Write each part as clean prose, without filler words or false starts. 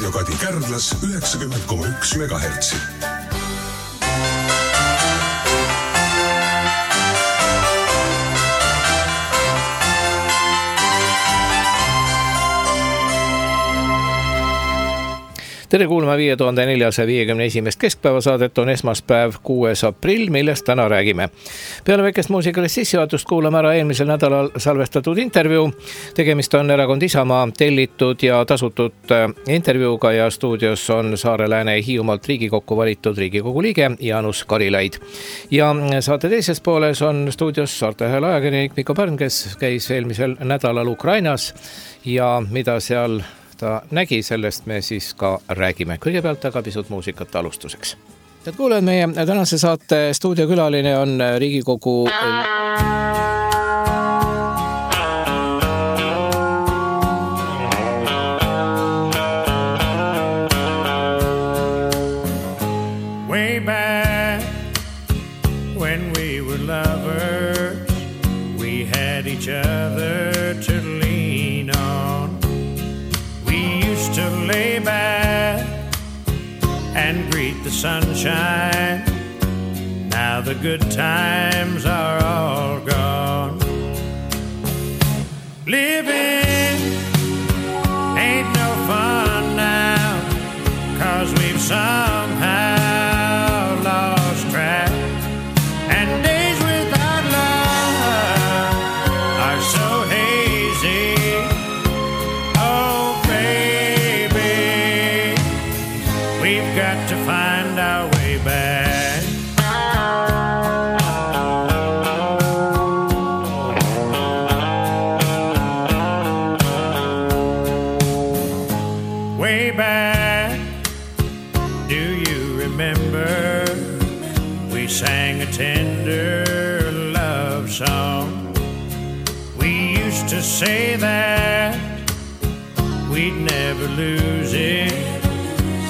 Raadio Kadi Kärdlas 90,1 MHz. Tere kuulma 5451. keskpäevasaadet on esmaspäev 6. aprill, millest täna räägime. Peale väikest muusikalist sissejuhatust kuulame ära eelmisel nädalal salvestatud intervjuu. Tegemist on Erakond Isamaa tellitud ja tasutud intervjuuga ja stuudios on Saare Lääne Hiiumaalt Riigikokku valitud Riigikogu liige Jaanus Karilaid. Ja saate teises pooles on stuudios Saarte Hääle ajakirjanik Mikko Pärn, kes käis eelmisel nädalal Ukrainas ja mida seal ta nägi, sellest me siis ka räägime. Kõigepealt aga pisut muusikat alustuseks. Tead kuuled, meie tänase saate stuudiokülaline on Riigikogu Way back when we were lovers, we had each other to lean on. To lay back and greet the sunshine. Now the good times are all gone. Living ain't no fun now, 'cause we've somehow lost track. And days without love are so hazy. We've got to find our way back. Way back, do you remember? We sang a tender love song. We used to say that we'd never lose it,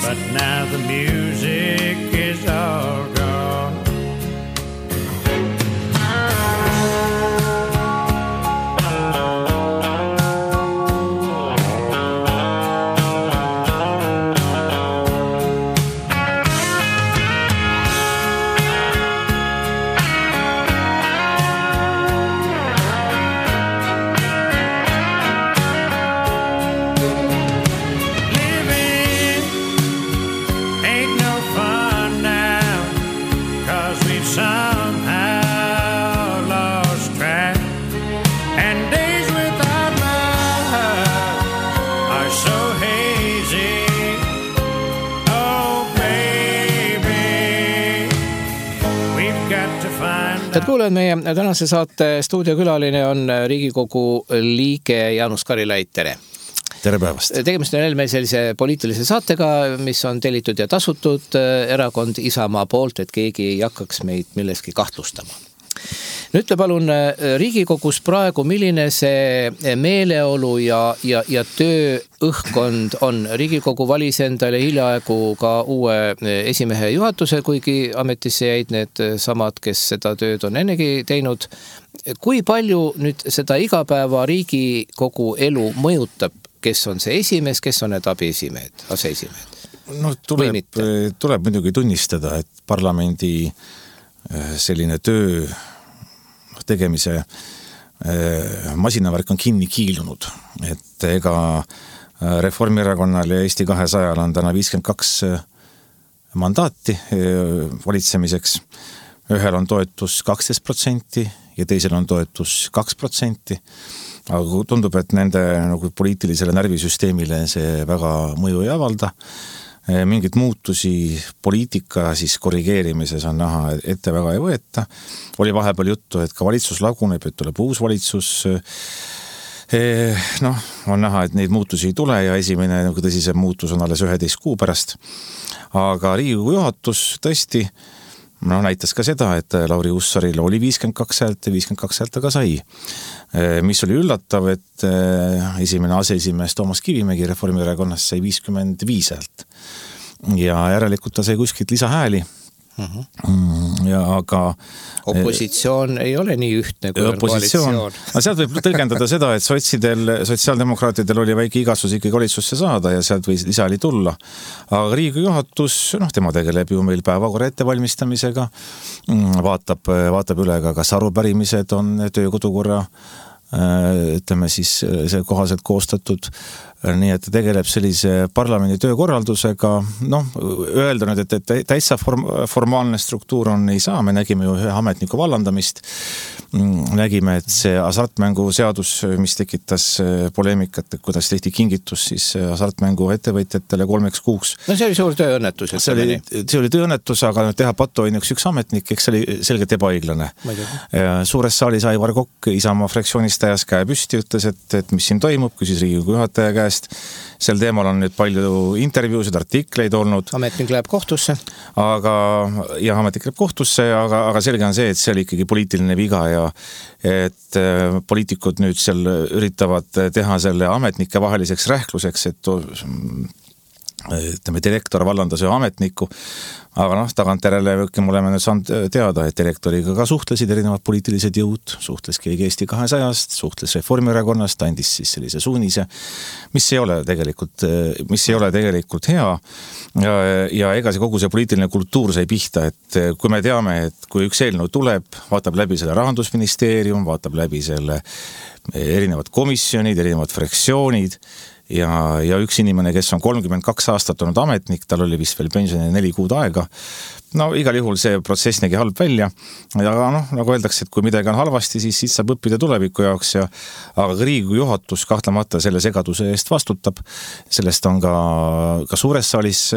but now the music is all gone. Tead kuuled, meie tänase saate stuudiokülaline on Riigikogu liige Jaanus Karilaid, tere! Tere päevast! Tegemist on meil sellise poliitilise saatega, mis on tellitud ja tasutud Erakond Isamaa poolt, et keegi ei hakkaks meid milleski kahtlustama. Nüüd te palun Riigikogus praegu, milline see meeleolu ja tööõhkkond on? Riigikogu valis endale hiljaaegu ka uue esimehe juhatuse, kuigi ametisse jäid need samad, kes seda tööd on ennegi teinud. Kui palju nüüd seda igapäeva Riigikogu elu mõjutab, kes on see esimees, kes on need abiesimehed, aseesimehed? No, tuleb muidugi tunnistada, et parlamendi selline töö tegemise masinavärk on kinni kiilunud, et ega Reformierakonnal ja Eesti 200 on täna 52 mandaati valitsemiseks. Ühel on toetus 12% ja teisel on toetus 2%, aga tundub, et nende nagu poliitilisele närvisüsteemile see väga mõju ei avalda. Mingid muutusi poliitika siis korrigeerimises on näha, ette väga ei võeta. Oli vahepeal juttu, et ka valitsus laguneb, et tuleb uus valitsus. On näha, et neid muutusi ei tule ja esimene nagu tõsisem muutus on alles 11 kuu pärast. Aga Riigikogu juhatus tõesti näitas ka seda, et Lauri Hussaril oli 52 häält ja 52 häält aga sai. Mis oli üllatav, et esimene aseesimees Toomas Kivimägi Reformierakonnast sai 55 häält. Ja järelikult ta sai kuskilt lisahääli Ja aga opositsioon ei ole nii ühtne kui koalitsioon. No sealt võib tõlgendada seda, et sotsiaaldemokraatidel oli väike igatsus ikkagi valitsusse saada ja sealt võis lisali tulla. Aga Riigikogu juhatus, tema tegeleb ju meil päevakorra ettevalmistamisega, vaatab üle ka, kas arupärimised on töökodukorra ütleme siis see kohaselt koostatud, nii et ta tegeleb sellise parlamendi töökorraldusega, öelda nüüd, et täitsa formaalne struktuur on, ei saa, me nägime ju ühe ametniku vallandamist, nägime, et see hasartmängu seadus, mis tekitas poleemikat, kuidas tehti kingitus siis hasartmängu ettevõtjatele 3 kuuks. No see oli suur tööõnnetus. See oli tööõnnetus, aga teha patuoinuks üks ametnik, eks see oli selgelt ebaõiglane. Suures saalis Aivar Kokk Isamaa fraktsioonist ajas käe püsti, ütles, et mis siin toimub, küsis Riigikogu juhataja käest. Sel teemal on nüüd palju intervjuusid, artikleid olnud. Ametnik läheb kohtusse. Ametnik läheb kohtusse, aga selge on see, et see oli ikkagi poliitiline viga ja et poliitikud nüüd seal üritavad teha selle ametnike vaheliseks rähkluseks, et direktor vallandas ühe ametniku, aga tagantjärele me oleme nüüd saanud teada, et direktoriga ka suhtlesid erinevad poliitilised jõud, suhtles keegi Eesti 200-st, suhtles Reformierakonnast, andis siis sellise suunise, mis ei ole tegelikult hea ja ega see kogu see poliitiline kultuur sai pihta, et kui me teame, et kui üks eelnõu tuleb, vaatab läbi selle Rahandusministeerium, vaatab läbi selle erinevad komisjonid, erinevad fraktsioonid ja üks inimene, kes on 32 aastat olnud ametnik, tal oli vist veel pensioni 4 kuud aega. Igal juhul see protsess nägi halb välja, aga nagu öeldakse, et kui midagi on halvasti, siis saab õppida tuleviku jaoks aga Riigikogu juhatus kahtlemata selle segaduse eest vastutab. Sellest on ka suures saalis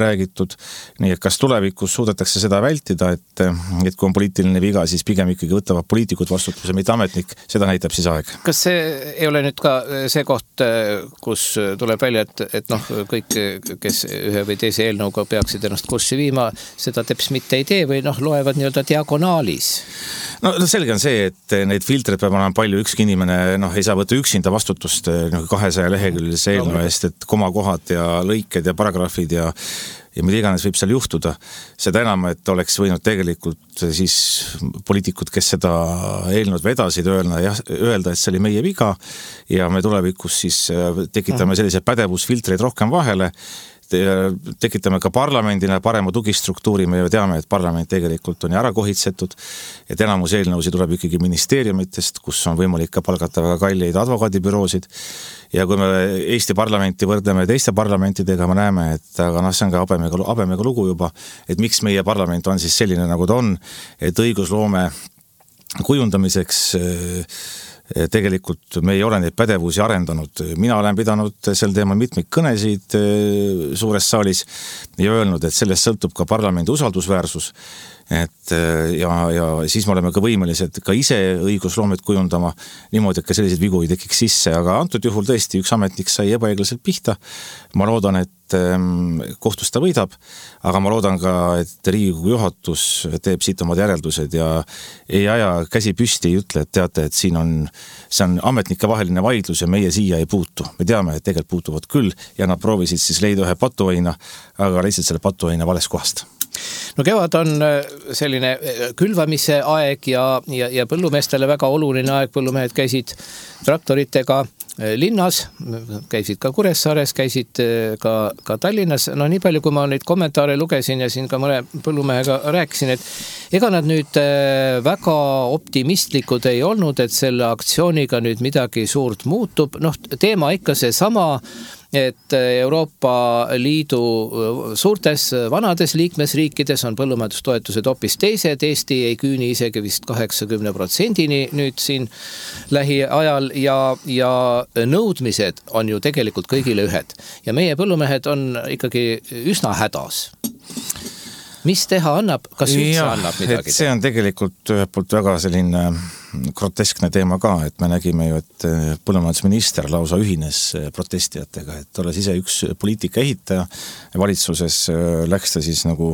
räägitud, nii et kas tulevikus suudetakse seda vältida, et kui on poliitiline viga, siis pigem ikkagi võtavad poliitikud vastutuse, mitte ametnik, seda näitab siis aeg. Kas see ei ole nüüd ka see koht, kus tuleb välja, et kõik, kes ühe või teise eelnõuga peaksid ennast kurssi viima, seda teps mitte ei tee või loevad nii-öelda diagonaalis? Selge on see, et neid filtreid peab olema palju, ükski inimene ei saa võtta üksinda vastutust 200 leheküljelise eelnõu eest, et komakohad ja lõiked ja paragrahvid ja mida iganes võib seal juhtuda. Seda enam, et oleks võinud tegelikult siis poliitikud, kes seda eelnõud vedasid, öelda, et see oli meie viga ja me tulevikus siis tekitame selliseid pädevusfiltreid rohkem vahele, tekitame ka parlamendile parema tugistruktuuri, me ju teame, et parlament tegelikult on ära kohitsetud, et enamus eelnõusid tuleb ikkagi ministeeriumitest, kus on võimalik ka palgata väga kalleid advokaadibüroosid ja kui me Eesti parlamenti võrdleme teiste parlamentidega, me näeme, et aga see on ka habemega lugu juba, et miks meie parlament on siis selline, nagu ta on, et õigusloome kujundamiseks tegelikult me ei ole neid pädevusi arendanud. Mina olen pidanud sel teemal mitmeid kõnesid suures saalis ja öelnud, et sellest sõltub ka parlamendi usaldusväärsus. Ja siis me oleme ka võimelised ka ise õigusloomet kujundama niimoodi, et ka selliseid vigu ei tekiks sisse, aga antud juhul tõesti üks ametnik sai ebaõiglaselt pihta. Ma loodan, et kohtus ta võidab, aga ma loodan ka, et Riigikogu juhatus teeb siit omad järeldused ja ei aja käsi püsti, ei ütle, et teate, et see on ametnike vaheline vaidlus ja meie siia ei puutu. Me teame, et tegelikult puutuvad küll ja nad proovisid siis leida ühe patuoina, aga lihtsalt selle patuoina vales kohast. Kevad on selline külvamise aeg ja põllumeestele väga oluline aeg. Põllumehed käisid traktoritega linnas, käisid ka Kuressaares, käisid ka Tallinnas. Nii palju, kui ma neid kommentaare lugesin ja siin ka mõne põllumehega rääkisin, et ega nad nüüd väga optimistlikud ei olnud, et selle aktsiooniga nüüd midagi suurt muutub. Teema ikka see sama, et Euroopa Liidu suurtes vanades liikmesriikides on põllumajandustoetused hoopis teised. Eesti ei küüni isegi vist 80% nüüd siin lähiajal ja nõudmised on ju tegelikult kõigile ühed. Ja meie põllumehed on ikkagi üsna hädas. Mis teha annab? Kas üldse annab midagi? See on tegelikult ühelt poolt väga selline groteskne teema ka, et me nägime ju, et põllumajandusminister lausa ühines protestijatega, et olles ise üks poliitika ehitaja valitsuses, läks ta siis nagu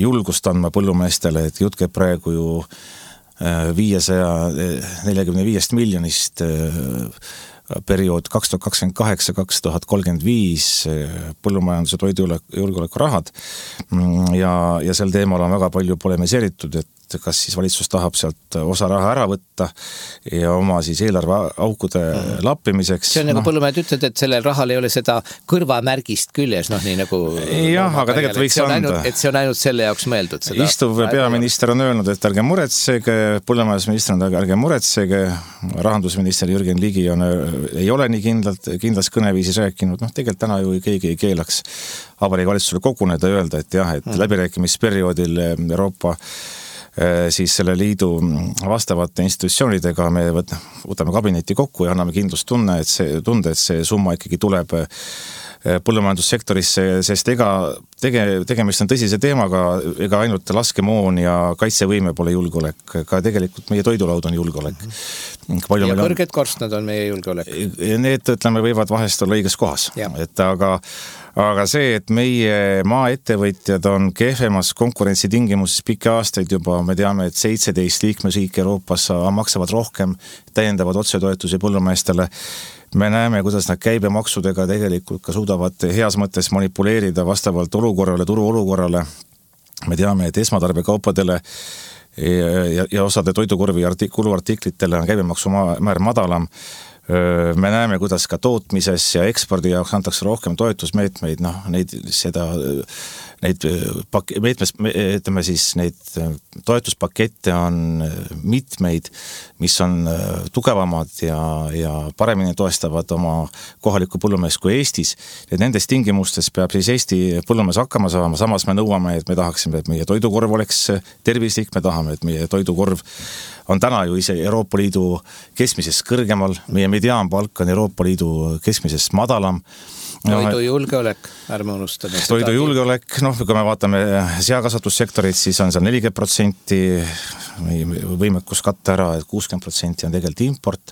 julgust andma põllumeestele, et jutt käib praegu ju 545 miljonist periood 2028-2035 põllumajanduse toidujulgeoleku rahad ja sel teemal on väga palju polemiseeritud, et kas siis valitsus tahab sealt osa raha ära võtta ja oma siis eelarve aukude lappimiseks. See on nagu põllumehed ütled, et sellel rahal ei ole seda kõrvamärgist küljes, nii nagu... Jah, aga tegelikult võiks anda. Et see on ainult selle jaoks mõeldud. Seda istuv peaminister on öelnud, et ärge muretsege, põllumajandusminister on ärge muretsege, rahandusminister Jürgen Ligi ei ole nii kindlas kõneviisis rääkinud, tegelikult täna ju keegi ei keelaks Vabariigi Valitsusele koguneda ja öelda, et jah, et läbirääkimisperioodil Euroopa siis selle liidu vastavate institutsioonidega me võtame kabineti kokku ja anname kindlustunde, et see summa ikkagi tuleb põllumajandussektorisse, sest tegemist on tõsise teemaga, ega ainult laskemoon ja kaitsevõime pole julgeolek, ka tegelikult meie toidulaud on julgeolek. Ja kõrged korstnad on meie julgeolek. Need, ütleme, võivad vahest olla õiges kohas. Et aga see, et meie maaettevõtjad on kehvemas konkurentsitingimuses pikki aastaid juba, me teame, et 17 liikmesriiki Euroopas maksavad rohkem täiendavad otsetoetusi põllumeestele. Me näeme, kuidas nad käibemaksudega tegelikult ka suudavad heas mõttes manipuleerida vastavalt olukorrale, turu olukorrale. Me teame, et esmatarbekaupadele ja osade toidukorvi kuluartiklitele on käibemaksumäär madalam. Me näeme, kuidas ka tootmises ja ekspordi jaoks antakse rohkem toetusmeetmeid, neid toetuspakette on mitmeid, mis on tugevamad ja paremini toestavad oma kohalikku põllumeest kui Eestis. Ja nendes tingimustes peab siis Eesti põllumees hakkama saama, samas me nõuame, et me tahaksime, et meie toidukorv oleks tervislik, me tahame, et meie toidukorv on täna ju ise Euroopa Liidu keskmisest kõrgemal, meie mediaanpalk on Euroopa Liidu keskmisest madalam. Toidujulgeolek, ärme unustame. Toidujulgeolek, kui me vaatame seakasvatussektorit, siis on seal 40% võimekus katta ära, et 60% on tegelikult import.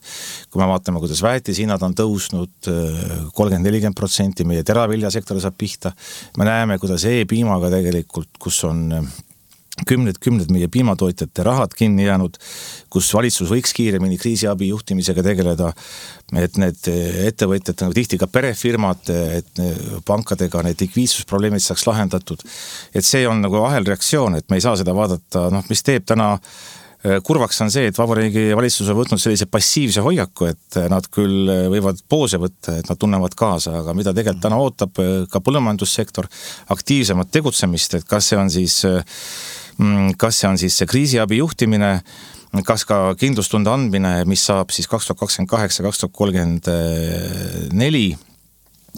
Kui me vaatame, kuidas väetishinnad on tõusnud 30-40%, meie teraviljasektori saab pihta. Me näeme, kuidas e-piimaga tegelikult, kus on kümned meie piimatootjate rahad kinni jäänud, kus valitsus võiks kiiremini kriisiabi juhtimisega tegeleda, et need ettevõtjad, tihti ka perefirmad, et pankadega need likviidsusprobleemid saaks lahendatud. Et see on nagu ahelreaktsioon, et me ei saa seda vaadata, mis teeb täna kurvaks on see, et Vabariigi Valitsus on võtnud sellise passiivse hoiaku, et nad küll võivad poose võtta, et nad tunnevad kaasa, aga mida tegelikult täna ootab ka põllumajandussektor aktiivsemat tegutsemist, et kas see on siis see kriisiabi juhtimine, kas ka kindlustunde andmine, mis saab siis 2028-2034,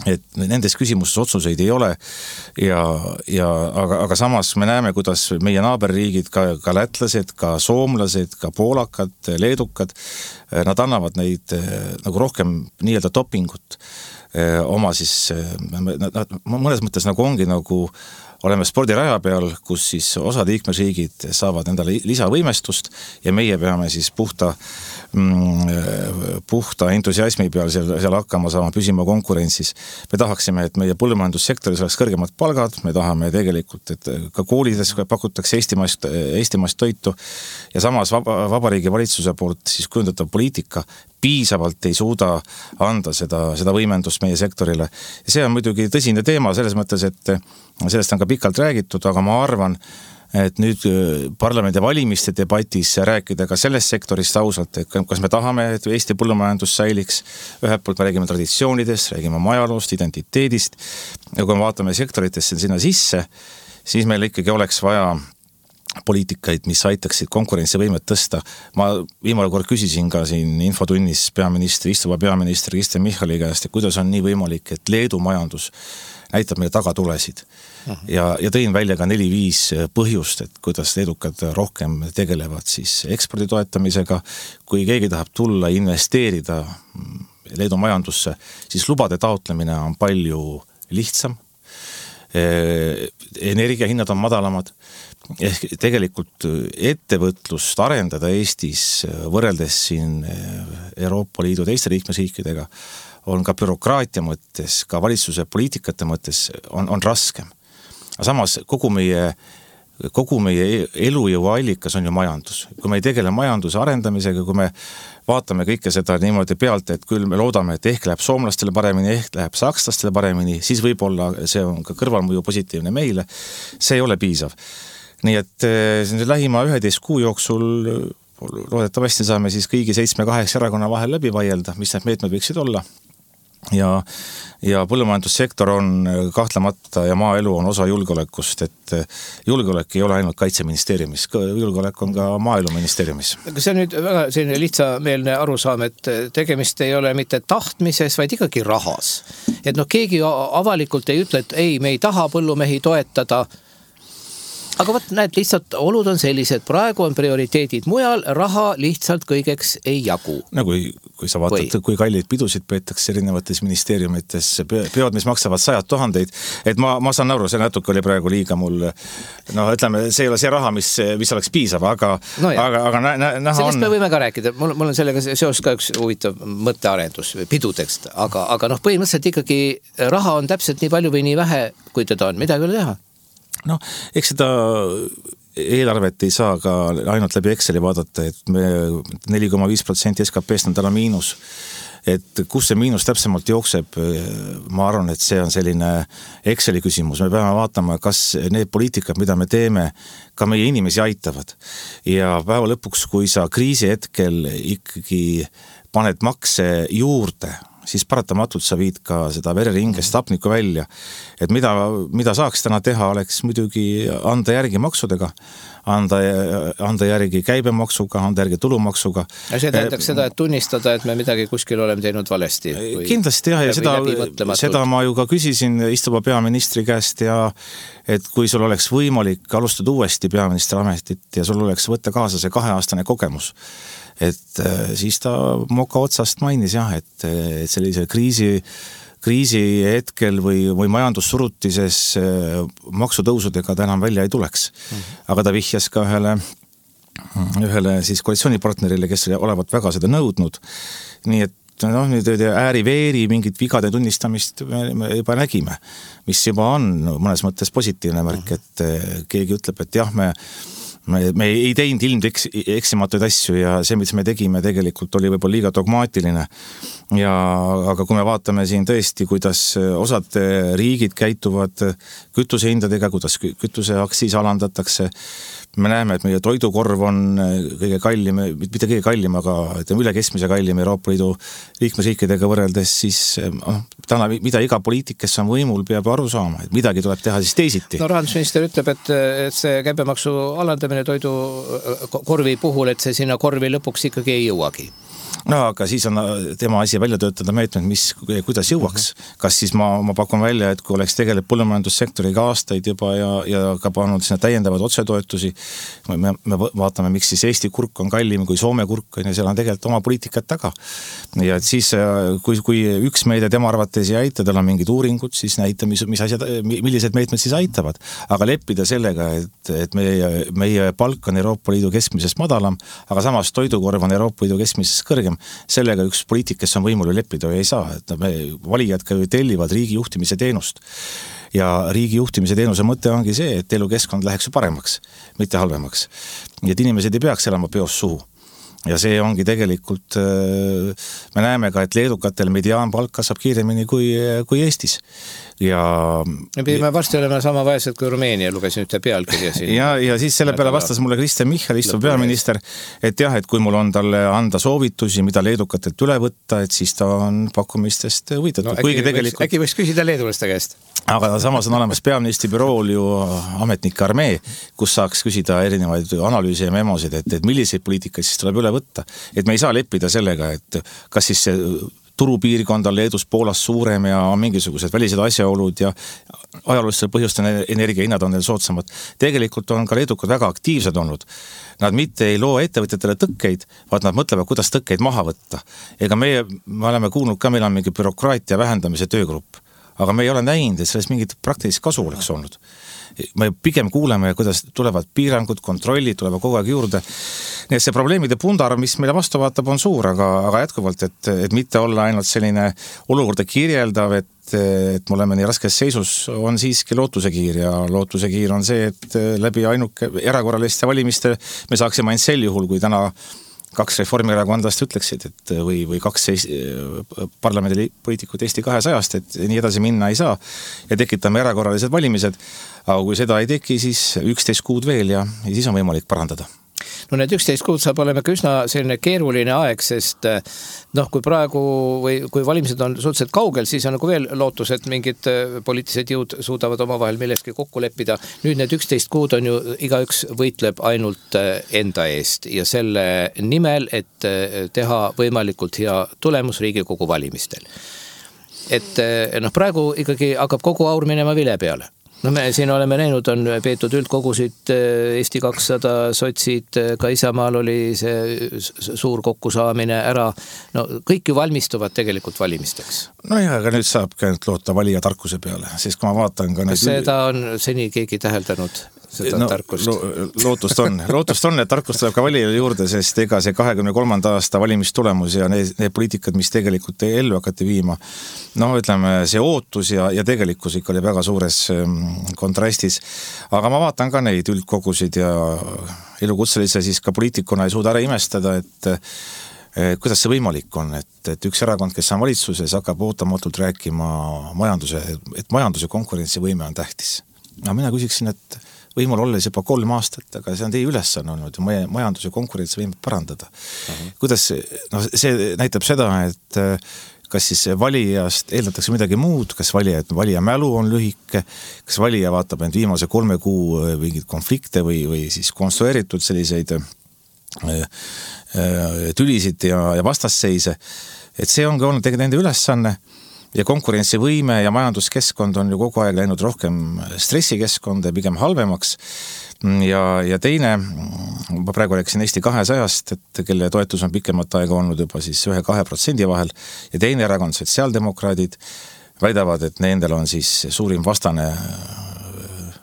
et nendes küsimustes otsuseid ei ole aga samas me näeme, kuidas meie naaberriigid, ka lätlased, ka soomlased, ka poolakad, leedukad, nad annavad neid nagu rohkem nii-öelda dopingut oma siis, mõnes mõttes nagu ongi nagu oleme spordiraja peal, kus siis osad liikmesriigid saavad endale lisavõimestust ja meie peame siis puhta entusiasmi peal seal hakkama saama püsima konkurentsis. Me tahaksime, et meie põllumajandussektoris oleks kõrgemad palgad, me tahame tegelikult, et ka koolides pakutakse eestimaist toitu ja samas Vabariigi Valitsuse poolt siis kujundatav poliitika piisavalt ei suuda anda seda võimendust meie sektorile. Ja see on muidugi tõsine teema selles mõttes, et sellest on ka pikalt räägitud, aga ma arvan, et nüüd parlamendi valimiste debatis rääkida ka sellest sektorist ausalt, et kas me tahame, et Eesti põllumajandus säiliks, ühelt poolt me räägime traditsioonidest, räägime ajaloost, identiteedist ja kui me vaatame sektoritesse sinna sisse, siis meil ikkagi oleks vaja poliitikaid, mis aitaksid konkurentsivõimet tõsta. Ma viimane kord küsisin ka siin infotunnis istuva peaministri Kristen Michali käest, et kuidas on nii võimalik, et Leedu majandus näitab meile tagatulesid. Ja tõin välja ka 4-5 põhjust, et kuidas leedukad rohkem tegelevad siis ekspordi toetamisega. Kui keegi tahab tulla investeerida Leedu majandusse, siis lubade taotlemine on palju lihtsam. Energiahinnad on madalamad. Ehk tegelikult ettevõtlust arendada Eestis võrreldes siin Euroopa Liidu teiste liikmesriikidega on ka bürokraatia mõttes, ka valitsuse poliitikate mõttes on raskem. Aga samas kogu meie kogu meie elujõu allikas on ju majandus. Kui me ei tegele majanduse arendamisega, kui me vaatame kõike seda niimoodi pealt, et küll me loodame, et ehk läheb soomlastele paremini, ehk läheb sakslastele paremini, siis võib-olla see on ka kõrvalmõju positiivne meile. See ei ole piisav. Nii et lähima 11 kuu jooksul loodetavasti saame siis kõigi 7-8 erakonna vahel läbi vaielda, mis need meetmed võiksid olla. Ja põllumajandussektor on kahtlemata ja maaelu on osa julgeolekust, et julgeolek ei ole ainult kaitseministeeriumis, julgeolek on ka maaeluministeeriumis. See on nüüd väga selline lihtsameelne arusaam, et tegemist ei ole mitte tahtmises, vaid ikkagi rahas. Et keegi avalikult ei ütle, et ei, me ei taha põllumehi toetada. Aga võt, näed, lihtsalt olud on sellised, praegu on prioriteedid mujal, raha lihtsalt kõigeks ei jagu. No kui sa vaatad, kui kalleid pidusid peetakse erinevates ministeeriumites, peod, mis maksavad 100 000, et ma saan aru, see natuke oli praegu liiga mul, ütleme, see ei ole see raha, mis oleks piisav, aga näha sellest me võime ka rääkida, mul on sellega seos ka üks huvitav mõttearendus pidudeks, aga põhimõtteliselt ikkagi raha on täpselt nii palju või nii vähe, kui teda on, midagi ei ole teha. Eks seda eelarvet ei saa ka ainult läbi Exceli vaadata, et me 4,5% SKP-st on täna miinus. Et kus see miinus täpsemalt jookseb, ma arvan, et see on selline Exceli küsimus. Me peame vaatama, kas need poliitikad, mida me teeme, ka meie inimesi aitavad. Ja päeva lõpuks, kui sa kriisi hetkel ikkagi paned makse juurde, siis paratamatult sa viid ka seda vereringest hapnikku välja. Et mida saaks täna teha, oleks muidugi anda järgi maksudega, anda järgi käibemaksuga, anda järgi tulumaksuga. Ja see tähendaks seda, et tunnistada, et me midagi kuskil oleme teinud valesti. Kindlasti jah, ja seda ma ju ka küsisin istuva peaministri käest ja et kui sul oleks võimalik alustada uuesti peaministri ametit ja sul oleks võtta kaasa see 2-aastane kogemus, et siis ta moka otsast mainis jah, et sellise kriisi hetkel või majandussurutises maksutõusudega ta enam välja ei tuleks. Aga ta vihjas ka ühele siis koalitsioonipartnerile, kes olevat väga seda nõudnud. Nii et nüüd ääri-veeri mingit vigade tunnistamist me juba nägime, mis juba on mõnes mõttes positiivne märk, et keegi ütleb, et jah, me ei teinud ilmeksimatuid asju ja see, mis me tegime, tegelikult oli võib-olla liiga dogmaatiline. Aga kui me vaatame siin tõesti, kuidas osad riigid käituvad kütusehindadega, kuidas kütuseaktsiis alandatakse, me näeme, et meie toidukorv on kõige kallim, mitte kõige kallim, aga üle keskmise kallim Euroopa Liidu liikmesriikidega võrreldes, siis täna, mida iga poliitik, kes on võimul, peab aru saama, et midagi tuleb teha siis teisiti. Rahandusminister ütleb, et see käibemaksu alandamine toidukorvi puhul, et see sinna korvi lõpuks ikkagi ei jõuagi. Aga siis on tema asi välja töötada meetmed, kuidas jõuaks. Kas siis ma pakun välja, et kui oleks tegelikult põllumajandussektoriga aastaid juba ja ka pannud sinna täiendavad otsetoetusi, me vaatame, miks siis Eesti kurk on kallim kui Soome kurk, ja seal on tegelikult oma poliitikat taga. Ja et siis, kui üks meede tema arvates ei aita, tal on mingid uuringud, siis näita, millised meetmed siis aitavad. Aga leppida sellega, et meie palk on Euroopa Liidu keskmisest madalam, aga samas toidukorv on Euroopa Liidu keskmisest kõrgem, sellega üks poliitik, kes on võimul leppida ei saa, et valijad ka tellivad riigi juhtimise teenust. Ja riigi juhtimise teenuse mõte ongi see, et elukeskkond läheks paremaks, mitte halvemaks. Nii et inimesed ei peaks elama peos suhu. Ja see ongi tegelikult, me näeme ka, et leedukatel mediaanpalk kasvab kiiremini kui Eestis. Me varsti oleme sama vaesed kui Rumeenia, lugesin ühte pealkirja siin. Ja siis selle peale vastas mulle Kristen Michal, istuv peaminister, et jah, et kui mul on talle anda soovitusi, mida leedukatelt üle võtta, et siis ta on pakkumistest huvitatud. Äkki võiks küsida leedulaste käest? Aga samas on olemas peaministri bürool ju ametnike armee, kus saaks küsida erinevaid analüüse ja memosid, et milliseid poliitikaid siis tuleb üle võtta. Et me ei saa leppida sellega, et kas siis see turupiirkond on Leedus Poolas suurem ja on mingisugused välised asjaolud ja ajaloolistel põhjustel energiahinnad on neil soodsamad. Tegelikult on ka leedukad väga aktiivsed olnud. Nad mitte ei loo ettevõtjatele tõkkeid, vaid nad mõtlevad, kuidas tõkkeid maha võtta. Ega me oleme kuulnud ka, meil on mingi bürokraatia vähendamise töögrupp. aga me ei ole näinud, et sellest mingit praktilist kasu oleks olnud. Me pigem kuuleme, kuidas tulevad piirangud, kontrollid, tulevad kogu aeg juurde. Nii et see probleemide pundar, mis meile vastu vaatab, on suur, aga jätkuvalt, et mitte olla ainult selline olukorda kirjeldav, et me oleme nii raskes seisus, on siiski lootusekiir ja lootusekiir on see, et läbi ainuke erakorraliste valimiste me saaksime ainult sel juhul, kui täna 2 reformierakondlast ütleksid, et või 2 parlamendipoliitikut Eesti 200-st, et nii edasi minna ei saa ja tekitame erakorralised valimised, aga kui seda ei teki, siis 11 kuud veel ja siis on võimalik parandada. No need 11 kuud saab olema üsna selline keeruline aeg, sest kui praegu või kui valimised on suhteliselt kaugel, siis on nagu veel lootus, et mingid poliitilised jõud suudavad omavahel milleski kokku leppida. Nüüd need 11 kuud on ju, igaüks võitleb ainult enda eest ja selle nimel, et teha võimalikult hea tulemus Riigikogu valimistel. Et praegu ikkagi hakkab kogu aur minema vile peale. Me siin oleme näinud, on peetud üldkogusid, Eesti 200, sotsid, ka Isamaal oli see suur kokkusaamine ära. Kõik ju valmistuvad tegelikult valimisteks. Aga nüüd saab käinud loota valija tarkuse peale, sest kui ma vaatan ka... Seda on seni keegi täheldanud, seda tarkust. Lootust on, et tarkust tuleb ka valijale juurde, sest ega see 23. aasta valimistulemus ja need poliitikad, mis tegelikult ellu hakati viima, ütleme, see ootus ja tegelikkus ikka oli väga suures kontrastis. Aga ma vaatan ka neid üldkogusid ja elukutselise siis ka poliitikuna ei suuda ära imestada, et kuidas see võimalik on, et üks erakond, kes on valitsuses, hakkab ootamatult rääkima majanduse konkurentsivõime on tähtis. Mina küsiksin, et võimul olles juba 3 aastat, aga see on teie ülesanne olnud majanduse konkurentsivõime parandada. Kuidas, see näitab seda, et kas siis valijast eeldatakse midagi muud, kas valija mälu on lühike, kas valija vaatab end viimase 3 kuu mingid konflikte või siis konstrueeritud selliseid tülisid ja vastasseise, et see on ka olnud tegelikult nende ülesanne ja konkurentsivõime ja majanduskeskkond on ju kogu aeg läinud rohkem stressikeskkonda ja pigem halvemaks ja teine, ma praegu rääkisin Eesti 200-st, et kelle toetus on pikemat aega olnud juba siis 1-2% vahel ja teine erakond, sotsiaaldemokraadid, väidavad, et nendel on siis suurim vastane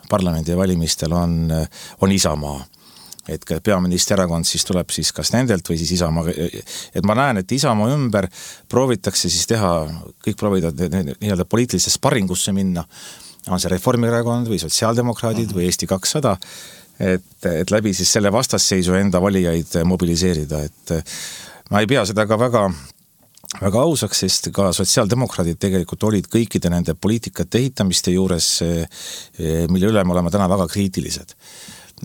parlamendi valimistel on Isamaa. Et peaministri erakond siis tuleb siis kas nendelt või siis Isamaa. Et ma näen, et Isamaa ümber proovitakse siis teha, kõik proovivad nii-öelda poliitilisse sparringusse minna, on see Reformierakond või sotsiaaldemokraadid või Eesti 200, et läbi siis selle vastasseisu enda valijaid mobiliseerida. Et ma ei pea seda ka väga ausaks, sest ka sotsiaaldemokraadid tegelikult olid kõikide nende poliitikate ehitamiste juures, mille üle me oleme täna väga kriitilised.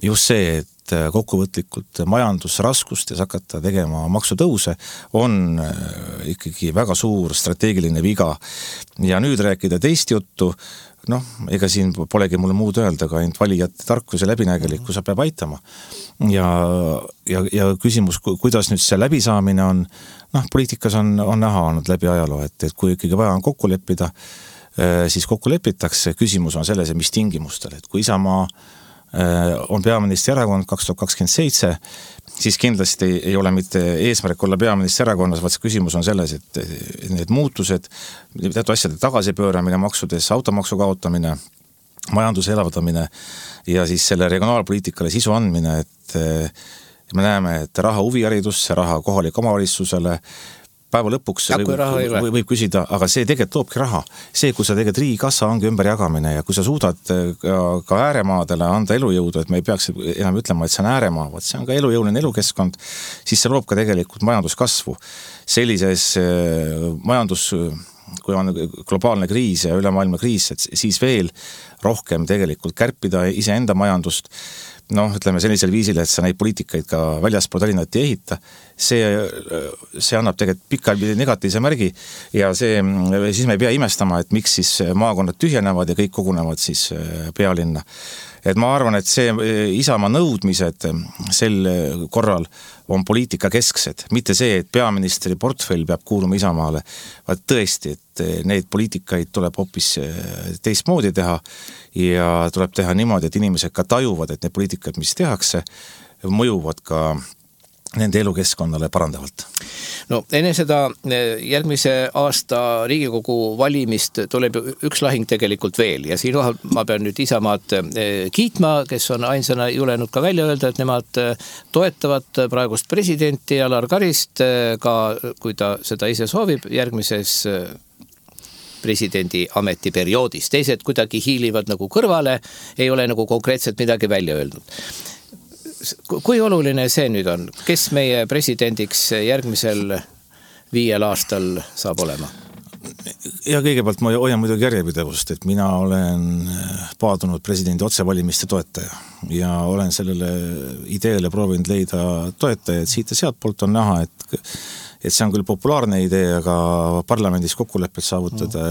Just see, et kokkuvõtlikult majandusraskustes hakata tegema maksutõuse on ikkagi väga suur strateegiline viga. Ja nüüd rääkida teist juttu, ega siin polegi mulle muud öelda, ka ainult valijate tarkus ja läbinägelikkus peab aitama. Ja küsimus, kuidas nüüd see läbisaamine on, poliitikas on näha olnud läbi ajaloo, et kui ikkagi vaja on kokku leppida, siis kokku lepitakse. Küsimus on selles, mis tingimustel, et kui Isamaa on peaministri erakond 2027, siis kindlasti ei ole mitte eesmärk olla peaministri erakonnas, vaid küsimus on selles, et need muutused, teatud asjade tagasipööramine maksudes, automaksu kaotamine, majanduse elavdamine ja siis selle regionaalpoliitikale sisu andmine, et me näeme, et raha huviharidusse, raha kohalik omavalitsusele, päeva lõpuks võib küsida, aga see tegelikult toobki raha. See, kui sa tegelikult riigikassa ongi ümberjagamine ja kui sa suudad ka ääremaadele anda elujõudu, et me ei peaks enam ütlema, et see on ääremaa, vaid see on ka elujõuline elukeskkond, siis see loob ka tegelikult majanduskasvu. Sellises kui on globaalne kriis ja ülemaailma kriis, siis veel rohkem tegelikult kärpida iseenda majandust, ütleme sellisel viisil, et sa neid poliitikaid ka väljaspool Tallinnat ei ehita, see annab tegelikult pikalt negatiivse märgi ja siis me ei pea imestama, et miks siis maakonnad tühjenevad ja kõik kogunevad siis pealinna. Et ma arvan, et see Isamaa nõudmised sel korral on poliitika kesksed, mitte see, et peaministri portfell peab kuuluma Isamaale, vaid tõesti, et neid poliitikaid tuleb hoopis teistmoodi teha ja tuleb teha niimoodi, et inimesed ka tajuvad, et need poliitikad, mis tehakse, mõjuvad ka nende elukeskkonnale parandavalt. No enne seda järgmise aasta Riigikogu valimist tuleb üks lahing tegelikult veel ja siinkohal ma pean nüüd Isamaad kiitma, kes on ainsana julenud ka välja öelda, et nemad toetavad praegust presidenti Alar Karist, ka kui ta seda ise soovib, järgmises presidendi ametiperioodis. Teised kuidagi hiilivad nagu kõrvale, ei ole nagu konkreetselt midagi välja öelnud. Kui oluline see nüüd on? Kes meie presidendiks järgmisel 5 aastal saab olema? Ja kõigepealt ma hoian muidugi järjepidevust, et mina olen paadunud presidendi otsevalimiste toetaja ja olen sellele ideele proovinud leida toetajaid. Siit ja sealt poolt on näha, et see on küll populaarne idee, aga parlamendis kokkulepped saavutada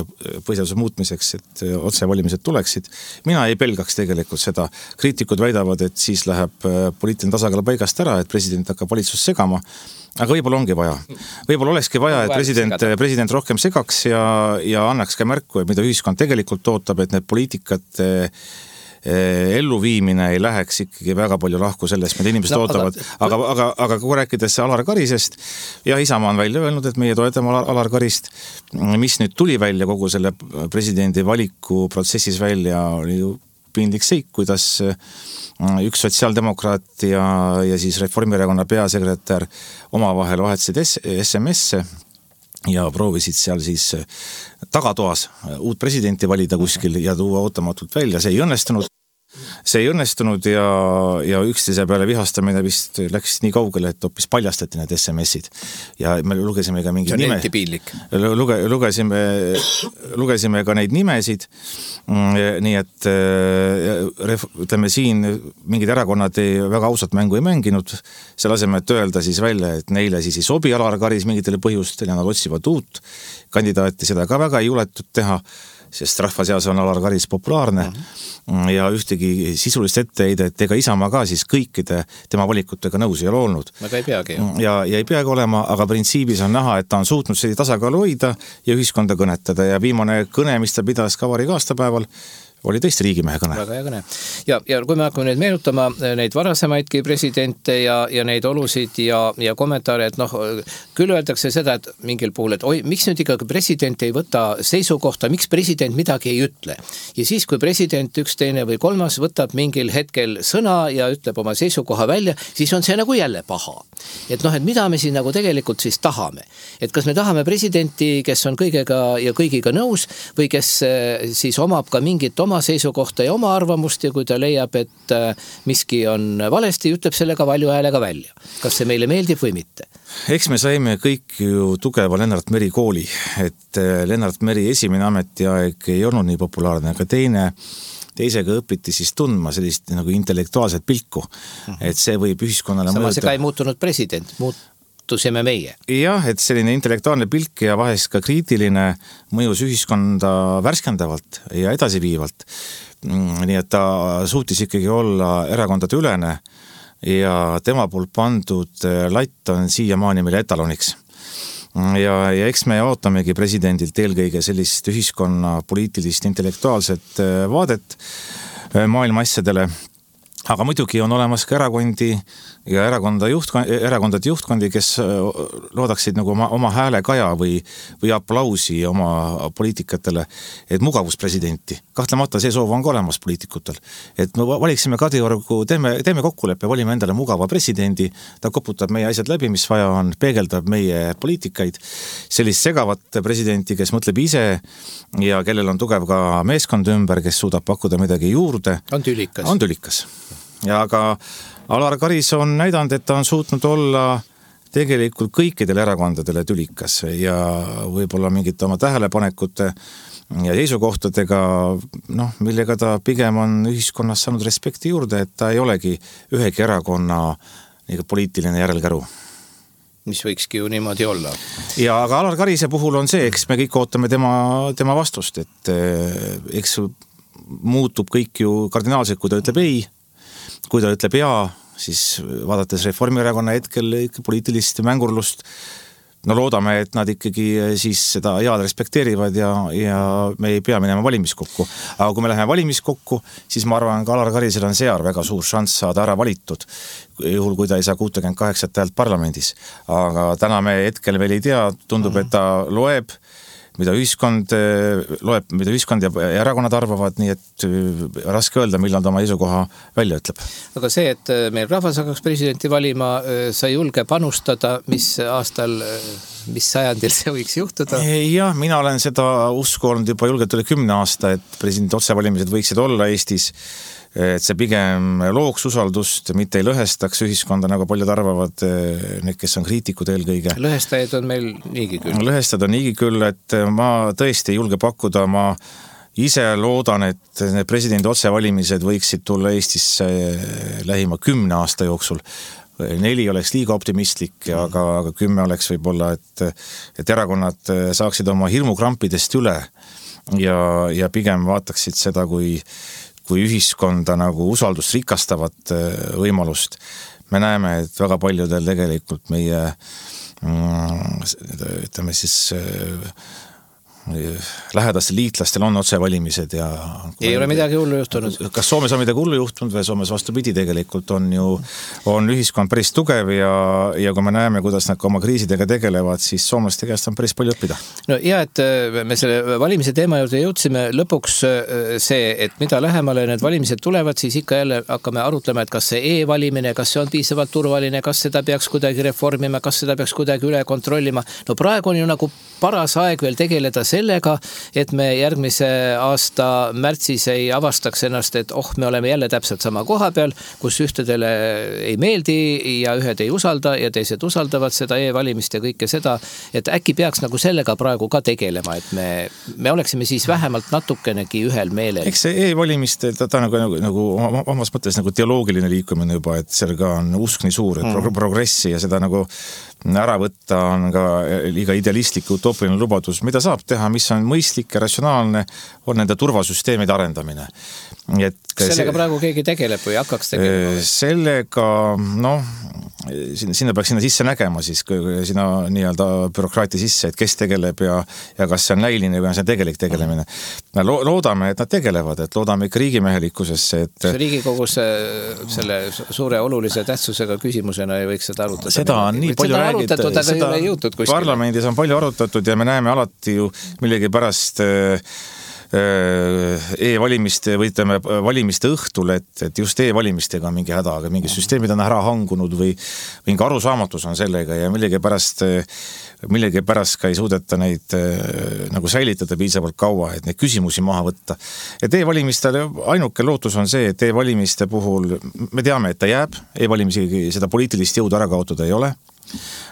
põhiseaduse muutmiseks, et otsevalimised tuleksid. Mina ei pelgaks tegelikult seda. Kriitikud väidavad, et siis läheb poliitiline tasakaal paigast ära, et president hakkab valitsust segama. Aga võib-olla ongi vaja. Võib-olla olekski vaja, et president rohkem segaks ja annaks ka märku, et mida ühiskond tegelikult ootab, et need poliitikate elluviimine ei läheks ikkagi väga palju lahku sellest, mida inimesed ootavad. Aga kui rääkides Alar Karisest, ja Isamaa on välja öelnud, et meie toetame Alar Karist, mis nüüd tuli välja kogu selle presidendi valiku protsessis välja, oli ju piinlik seik, kuidas üks sotsiaaldemokraat ja siis Reformierakonna peasekretär omavahel vahetasid SMS-e ja proovisid seal siis tagatoas uut presidenti valida kuskil ja tuua ootamatult välja. See ei õnnestunud ja üksteise peale vihastamine vist läks nii kaugele, et hoopis paljastati need SMS-id. Ja me lugesime ka mingi nime. Lugesime ka neid nimesid. Nii et ütleme siin mingid erakonnad väga ausat mängu ei mänginud. Selle asemel, et öelda siis välja, et neile siis ei sobi Alar Karis mingitele põhjustel ja nad otsivad uut kandidaati, seda ka väga ei juletud teha, sest rahva seas on Alar Karis populaarne ja ühtegi sisulist etteheidet ega Isamaa ka siis kõikide tema valikutega nõus ei ole olnud. Aga ei peagi. Ja ei peagi olema, aga printsiibis on näha, et ta on suutnud selle tasakaalu hoida ja ühiskonda kõnetada ja viimane kõne, mis ta pidas ka vabariigi aastapäeval, oli tõesti riigimehe kõne. Väga hea kõne. Ja kui me hakkame nüüd meenutama neid varasemaidki presidente ja neid olusid ja kommentaare, et küll öeldakse seda, et mingil puhul, et miks nüüd ikkagi president ei võta seisukohta, miks president midagi ei ütle. Ja siis, kui president üks, teine või kolmas võtab mingil hetkel sõna ja ütleb oma seisukoha välja, siis on see nagu jälle paha. Et mida me siin nagu tegelikult siis tahame. Et kas me tahame presidenti, kes on kõigega ja kõigiga nõus või kes siis omab ka mingit oma seisukohta ja oma arvamust ja kui ta leiab, et miski on valesti, ütleb sellega valju häälega välja. Kas see meile meeldib või mitte? Eks me saime kõik ju tugeva Lennart Meri kooli, et Lennart Meri esimene ametiaeg ei olnud nii populaarne, aga teisega õpiti siis tundma sellist nagu intellektuaalset pilku, et see võib ühiskonnale Samas ega ei muutunud president, muutusime meie. Jah, et selline intellektuaalne pilk ja vahest ka kriitiline mõjus ühiskonda värskendavalt ja edasiviivalt. Nii et ta suutis ikkagi olla erakondade ülene ja tema poolt pandud latt on siiamaani meile etaloniks. Ja eks me ootamegi presidendilt eelkõige sellist ühiskonna poliitilist intellektuaalset vaadet maailma asjadele. Aga muidugi on olemas ka erakondi ja erakondade juhtkondi, kes loodaksid nagu oma hääle kaja või aplausi oma poliitikatele, et mugavuspresidenti. Kahtlemata see soov on ka olemas poliitikutel. Et me valiksime Kadriorgu, teeme kokkuleppe, valime endale mugava presidendi, ta koputab meie asjad läbi, mis vaja on, peegeldab meie poliitikaid. Sellist segavat presidenti, kes mõtleb ise ja kellel on tugev ka meeskond ümber, kes suudab pakkuda midagi juurde. On tülikas. Ja aga Alar Karis on näidanud, et ta on suutnud olla tegelikult kõikidele erakondadele tülikas ja võib-olla mingite oma tähelepanekute ja seisukohtadega, millega ta pigem on ühiskonnas saanud respekti juurde, et ta ei olegi ühegi erakonna poliitiline järelkäru. Mis võikski ju niimoodi olla. Ja aga Alar Karise puhul on see, eks me kõik ootame tema vastust, et eks muutub kõik ju kardinaalselt, kui ta ütleb ei. Kui ta ütleb jaa, siis vaadates Reformierakonna hetkel poliitilist mängurlust, no loodame, et nad ikkagi siis seda head respekteerivad ja me ei pea minema valimiskokku. Aga kui me läheme valimiskokku, siis ma arvan, ka Alar Karisel on seal väga suur šanss saada ära valitud, juhul kui ta ei saa 68 häält parlamendis. Aga täna me hetkel veel ei tea, tundub, et ta loeb, mida ühiskond ja erakonnad arvavad, nii et raske öelda, millal ta oma seisukoha välja ütleb. Aga see, et meil rahvas hakkaks presidenti valima, sa julge panustada, mis aastal, mis sajandil see võiks juhtuda? Jah, mina olen seda usku olnud juba julgelt üle 10 aasta, et presidendi otsevalimised võiksid olla Eestis, et see pigem looks usaldust, mitte ei lõhestaks ühiskonda, nagu paljud arvavad, need, kes on kriitikud eelkõige. Lõhestajaid on meil niigi küll. Lõhestajad on niigi küll, et ma tõesti ei julge pakkuda, ma ise loodan, et need presidendi otsevalimised võiksid tulla Eestisse lähima 10 aasta jooksul. 4 oleks liiga optimistlik, aga 10 oleks võib-olla, et erakonnad saaksid oma hirmukrampidest üle ja pigem vaataksid seda, kui ühiskonda nagu usaldust rikastavat võimalust. Me näeme, et väga paljudel tegelikult meie ütleme siis lähedastel liitlastel on otsevalimised ja ei ole midagi hullu juhtunud. Kas Soomes on midagi hullu juhtunud või Soomes vastupidi tegelikult on ühiskond päris tugev ja kui me näeme, kuidas nad ka oma kriisidega tegelevad, siis soomlaste käest on päris palju õppida. No ja, et me selle valimise teema juurde jõudsime lõpuks see, et mida lähemale need valimised tulevad, siis ikka jälle hakkame arutlema, et kas see e-valimine, kas see on piisavalt turvaline, kas seda peaks kuidagi reformima, kas seda peaks kuidagi üle kontrollima. No praegu on ju nagu paras aeg veel tegeleda sellega, et me järgmise aasta märtsis ei avastaks ennast, et me oleme jälle täpselt sama koha peal, kus ühtedele ei meeldi ja ühed ei usalda ja teised usaldavad seda e-valimist ja kõike seda, et äkki peaks nagu sellega praegu ka tegelema, et me oleksime siis vähemalt natukenegi ühel meelel. Eks see e-valimist, ta nagu omas mõttes nagu teoloogiline liikumine juba, et seal ka on usk nii suur, et progressi ja seda nagu ära võtta on ka liiga idealistlik utoopiline lubadus, mida saab teha, mis on mõistlik ja ratsionaalne, on nende turvasüsteemide arendamine. Sellega praegu keegi tegeleb või hakkaks tegelema? Sellega, sinna peaks sinna sisse nägema siis, sinna nii-öelda bürokraatia sisse, et kes tegeleb ja kas see on näiline või on see tegelik tegelemine. Loodame, et nad tegelevad, et loodame ikka riigimehelikkusesse. See Riigikogus selle suure olulise tähtsusega küsimusena ei võiks seda arutada. Seda on nii palju räägitud, seda parlamendis on palju arutatud ja me näeme alati ju millegi pärast e-valimiste või ütleme valimiste õhtul, et just e-valimistega on mingi häda, aga mingi süsteemid on ära hangunud või mingi arusaamatus on sellega ja millegi pärast ka ei suudeta neid nagu säilitada piisavalt kaua, et neid küsimusi maha võtta. Et e-valimistele ainuke lootus on see, et e-valimiste puhul me teame, et ta jääb, e-valimisi seda poliitilist jõudu ära kaotada ei ole.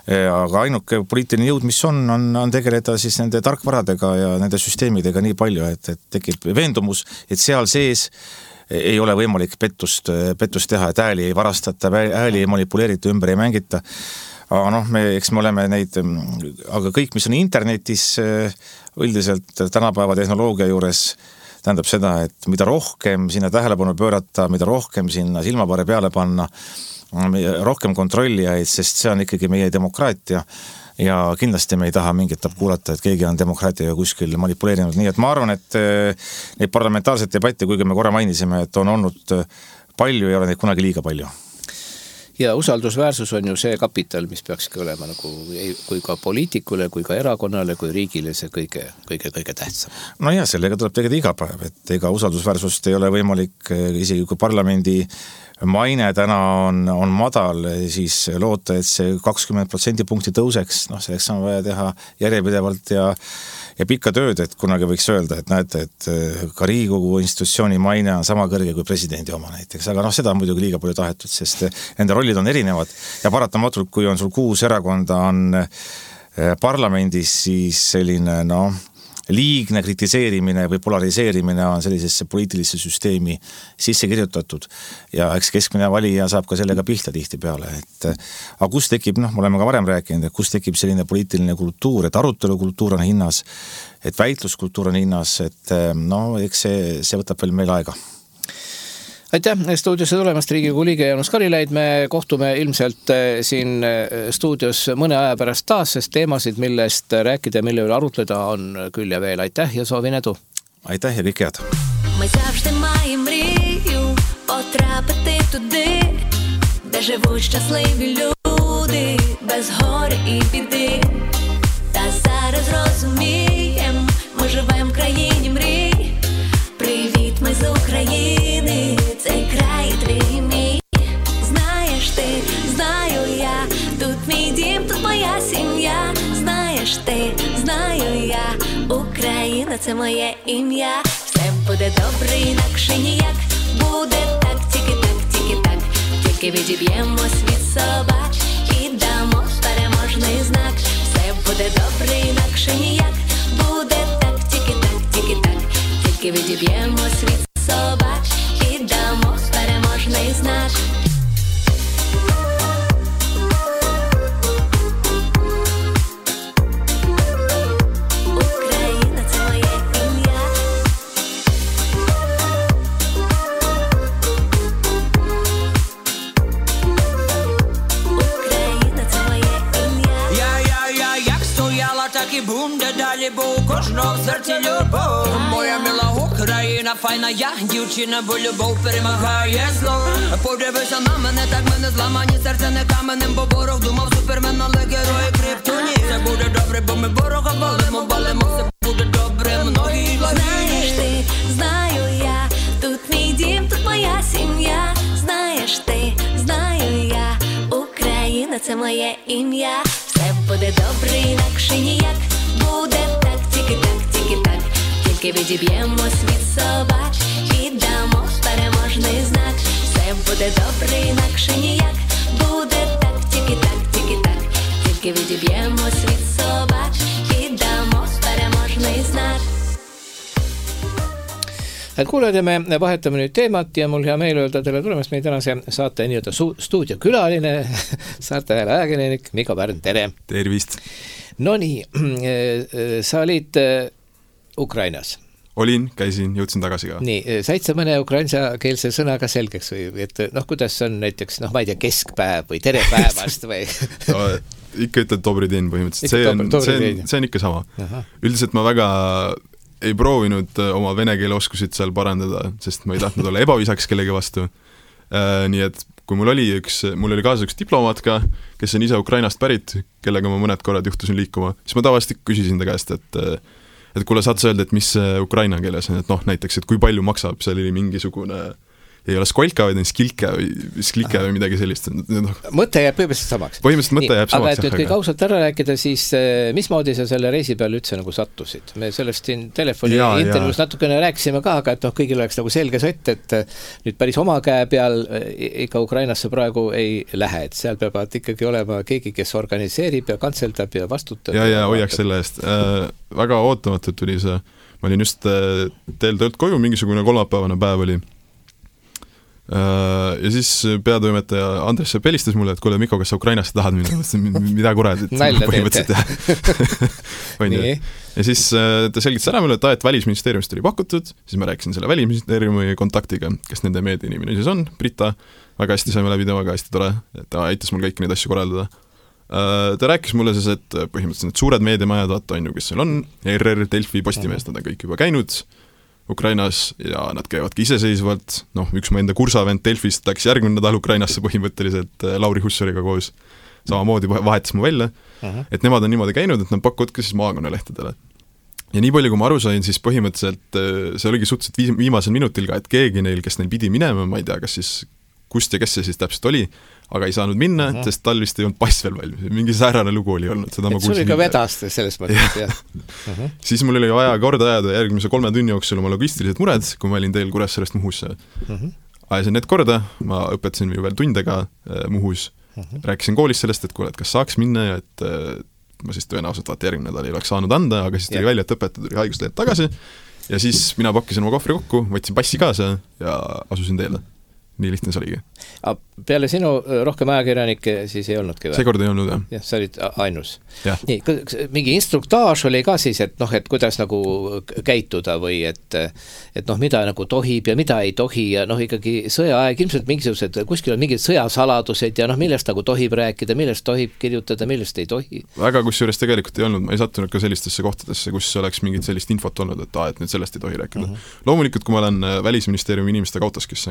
Aga ainuke poliitiline jõud, mis on tegeleda siis nende tarkvaradega ja nende süsteemidega nii palju, et tekib veendumus, et seal sees ei ole võimalik pettust teha, et ääli ei varastata, ääli ei manipuleerita, ümber ei mängita. Aga eks me oleme neid, aga kõik, mis on internetis üldiselt tänapäeva tehnoloogia juures, tähendab seda, et mida rohkem sinna tähelepanu pöörata, mida rohkem sinna silmapare peale panna, rohkem kontrollijaid, sest see on ikkagi meie demokraatia ja kindlasti me ei taha mingit kuulata, et keegi on demokraatiaga kuskil manipuleerinud. Nii et ma arvan, et neid parlamentaarseid debatti, kuigi me korra mainisime, et on olnud palju ja ei ole neid kunagi liiga palju. Ja usaldusväärsus on ju see kapital, mis peakski olema nagu kui ka poliitikule, kui ka erakonnale, kui riigile see kõige tähtsam. No ja sellega tuleb tegeleda iga päev, et ega usaldusväärsust ei ole võimalik, isegi kui parlamendi maine täna on madal, siis loota, et see 20% punkti tõuseks, selleks on vaja teha järjepidevalt ja pikka tööd, et kunagi võiks öelda, et näete, et ka Riigikogu institutsiooni maine on sama kõrge kui presidendi oma näiteks, aga seda on muidugi liiga palju tahetud, sest nende rollid on erinevad ja paratamatult, kui on sul 6 erakonda on parlamendis, siis selline liigne kritiseerimine või polariseerimine on sellisesse poliitilisse süsteemi sisse kirjutatud ja eks keskmine valija saab ka sellega pihta tihti peale, aga kus tekib, me oleme ka varem rääkinud, et kus tekib selline poliitiline kultuur, et arutelukultuur on hinnas, et väitluskultuur on hinnas, et eks see võtab veel meil aega. Aitäh stuudiosse tulemast, Riigikogu liige Jaanus Karilaid. Me kohtume ilmselt siin stuudios mõne aja pärast taas, sest teemasid, millest rääkida ja mille üle arutleda on küll ja veel. Aitäh ja soovin edu. Aitäh ja kõike head. Ми завжди маємо мрію потрапити туди, де живуть щасливі люди, без горя і біди. Та зараз розумієм, ми живем в країні мрій. Привіт, ми з України, цей край твій мій. Знаєш ти, знаю я, тут мій дім, тут моя сім'я. Знаєш ти, знаю я, Україна – це моє ім'я. Все буде добре, інакше ніяк. Буде так, тільки так, тільки так. Тільки відіб'ємось від собак і дамо переможний знак. Все буде добре, інакше ніяк. Буде так, тільки так, тільки так. Тільки відіб'ємось від собак і дамо переможний знак. Так і буде далі, бо у кожного в серці любов. Моя мила Україна, файна я, дівчина, бо любов перемагає зло. Подивися на мене, так мене зламані, серце не каменем, бо ворог думав супермен, але герої криптоні. Все буде добре, бо ми ворога балимо, все буде добре, многі благі. Знаєш ти, знаю я, тут мій дім, тут моя сім'я. Знаєш ти, знаю я, Україна – це моє ім'я. Все буде добре, інакше ніяк. Буде так, тільки так, тільки так. Тільки відіб'ємось від собак і дамо переможний знак. Все буде добре, інакше ніяк. Буде так, тільки так, тільки так. Тільки відіб'ємось від собак і дамо переможний знак. Kuulajad, me vahetame nüüd teemat ja mul hea meel öelda teile tulemast meie tänase saate nii-öelda stuudiokülaline, saarte hääle ajakirjanik Mikko Pärn, tere! Tervist! No nii, sa olid Ukrainas. Olin, käisin, jõudsin tagasi ka. Nii, said sa mõne ukrainsakeelse sõnaga selgeks või, et kuidas on näiteks, ma ei tea, keskpäev või tere päevast või? No, ikka ütled dobri din põhimõtteliselt, see on ikka sama. Üldiselt ma väga ei proovinud oma vene keele oskusid seal parandada, sest ma ei tahtnud olla ebavisaks kellegi vastu. Nii et kui mul oli kaasa üks diplomaat ka, kes on ise Ukrainast pärit, kellega ma mõned korrad juhtusin liikuma, siis ma tavaliselt küsisin ta käest, et kuule, saad sa öelda, et mis ukraina keeles on, et näiteks, et kui palju maksab, seal oli mingisugune ei ole skolka, vaid on skilke või midagi sellist. Mõte jääb põhimõtteliselt samaks. Põhimõtteliselt mõte jääb samaks. Aga et nüüd kõik ausalt ära rääkida, siis mismoodi sa selle reisi peal üldse nagu sattusid? Me sellest siin telefoni intervjuus natukene rääkisime ka, aga et kõigil oleks nagu selge sott, et nüüd päris oma käe peal ikka Ukrainasse praegu ei lähe, et seal peavad ikkagi olema keegi, kes organiseerib ja kantseldab ja vastutab. Ja hoiaks selle eest. Väga ootamatult tuli see. Ma olin just teel töölt koju, mingisugune kolmapäevane päev oli. Ja siis peatoimetaja Andres Sepp helistas mulle, et kuule, Mikko, kas sa Ukrainasse tahad minna? Mida kurat, et põhimõtteliselt ja siis ta selgitas ära mulle, et välisministeeriumist oli pakutud, siis ma rääkisin selle välisministeeriumi kontaktiga, kes nende meediainimene siis on, Brita, väga hästi saime läbi temaga, hästi tore, ta aitas mul kõiki neid asju korraldada. Ta rääkis mulle siis, et põhimõtteliselt need suured meediamajad, vaata on ju, kes seal on, ERR, Delfi, Postimees, nad on kõik juba käinud Ukrainas ja nad käivadki iseseisvalt, üks mu enda kursavend Delfist läks järgmine nädal Ukrainasse põhimõtteliselt Lauri Hussariga koos, samamoodi vahetas mu välja, et nemad on niimoodi käinud, et nad pakuvad ka siis maakonnalehtedele. Ja nii palju, kui ma aru sain, siis põhimõtteliselt see oligi suhteliselt viimasel minutil ka, et keegi neil, kes neil pidi minema, ma ei tea, kas siis kust ja kes see siis täpselt oli, aga ei saanud minna, sest tal vist ei olnud pass veel valmis. Mingi säärane lugu oli olnud. Seda et sul oli ka vedast selles mõttes, jah. Siis mul oli vaja korda ajada järgmise 3 tunni jooksul oma logistilised mured, kui ma olin teel Kuressaarest Muhusse. Ajasin need korda, ma õpetasin veel tundega Muhus. Rääkisin koolis sellest, et kuule, et kas saaks minna ja et ma siis tõenäoliselt vaata järgmine nädal ei oleks saanud anda, aga siis tuli välja, et õpetaja tuli haiguslehelt tagasi ja siis mina pakkisin oma kohvri kokku, võtsin passi kaasa ja asusin teele. nii lihtne see oligi. Peale sinu rohkem ajakirjanikke siis ei olnudki või? Seekord ei olnud, jah. Jah, sa olid ainus. Nii, mingi instruktaaž oli ka siis, et kuidas nagu käituda või et mida nagu tohib ja mida ei tohi ja ikkagi sõjaaeg, ilmselt mingisugused, kuskil on mingid sõjasaladused ja millest nagu tohib rääkida, millest tohib kirjutada, millest ei tohi. Väga kusjuures tegelikult ei olnud, ma ei sattunud ka sellistesse kohtadesse, kus oleks mingit sellist infot olnud, et nüüd sellest ei tohi rääkida. Loomulikult, kui ma olen Välisministeeriumi inimestega autos, kes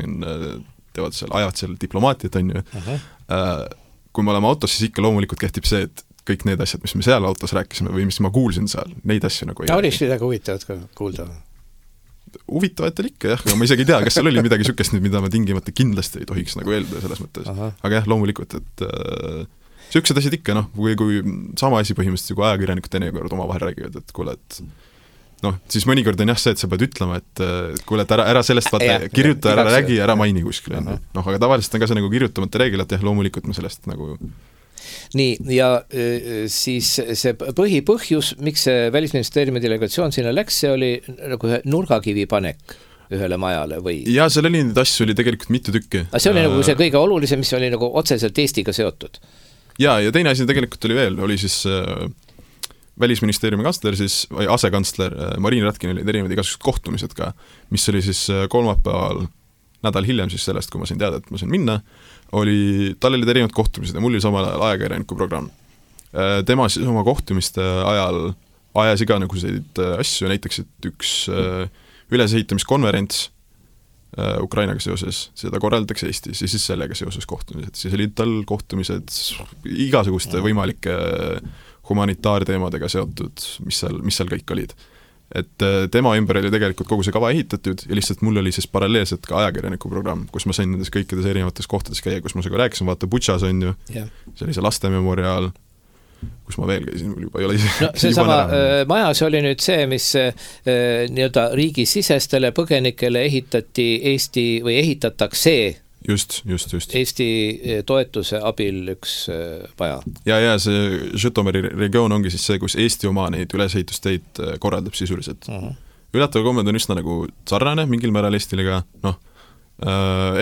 ajavad seal diplomaatiat, on ju. Kui me oleme autos, siis ikka loomulikult kehtib see, et kõik need asjad, mis me seal autos rääkisime või mis ma kuulsin seal, neid asju nagu ei Olis midagi huvitavat ka kuulda? Huvitavatel ikka, jah, aga ma isegi ei tea, kas seal oli midagi sükest, mida ma tingimata kindlasti ei tohiks nagu eeldada selles mõttes. Aga jah, loomulikult, et süksed asjad ikka, kui sama asi põhimõtteliselt, kui ajakirjanikud teinekord oma vahel räägivad, et kuule, et siis mõnikord on jah see, et sa pead ütlema, et kuule, et ära sellest vaata, kirjuta, ära räägi, ära maini kuskil. Aga tavaliselt on ka see nagu kirjutamata reegel, et jah, loomulikult me sellest nagu... Nii, ja siis see põhipõhjus, miks see Välisministeeriumi delegatsioon sinna läks, see oli nagu ühe nurgakivi panek ühele majale või? Ja seal oli neid asju oli tegelikult mitu tükki. See oli nagu see kõige olulisem, mis oli nagu otseselt Eestiga seotud. Ja teine asi tegelikult oli veel, oli siis... Välisministeeriumi kantsler siis, või asekantsler Marin Ratkin olid erinevad igasugused kohtumised ka, mis oli siis kolmapäeval nädal hiljem siis sellest, kui ma sain teada, et ma sain minna, tal olid erinevad kohtumised ja mul oli samal ajal ajakirjaniku programm. Tema siis oma kohtumiste ajal ajas iga nagu selliseid asju, näiteks et üks ülesehitamiskonverents Ukrainaga seoses, seda korraldatakse Eestis ja siis sellega seoses kohtumised. Siis olid tal kohtumised igasuguste võimalike humanitaarteemadega seotud, mis seal kõik olid. Et tema ümber oli tegelikult kogu see kava ehitatud ja lihtsalt mul oli siis paralleelselt ka ajakirjaniku programm, kus ma sain nendes kõikides erinevates kohtades käia, kus ma seda rääkisin, vaata Butšas on ju, see oli see lastememoriaal, kus ma veel käisin, mul juba ei ole see sama majas oli nüüd see, mis nii-öelda riigisisestele põgenikele ehitati Eesti või ehitatakse Just. Eesti toetuse abil üks maja. Ja see Žõtomõri regioon ongi siis see, kus Eesti oma neid üleseehitusteid korraldab sisuliselt. Üllatava kommed on üsna nagu sarnane mingil määral Eestilega,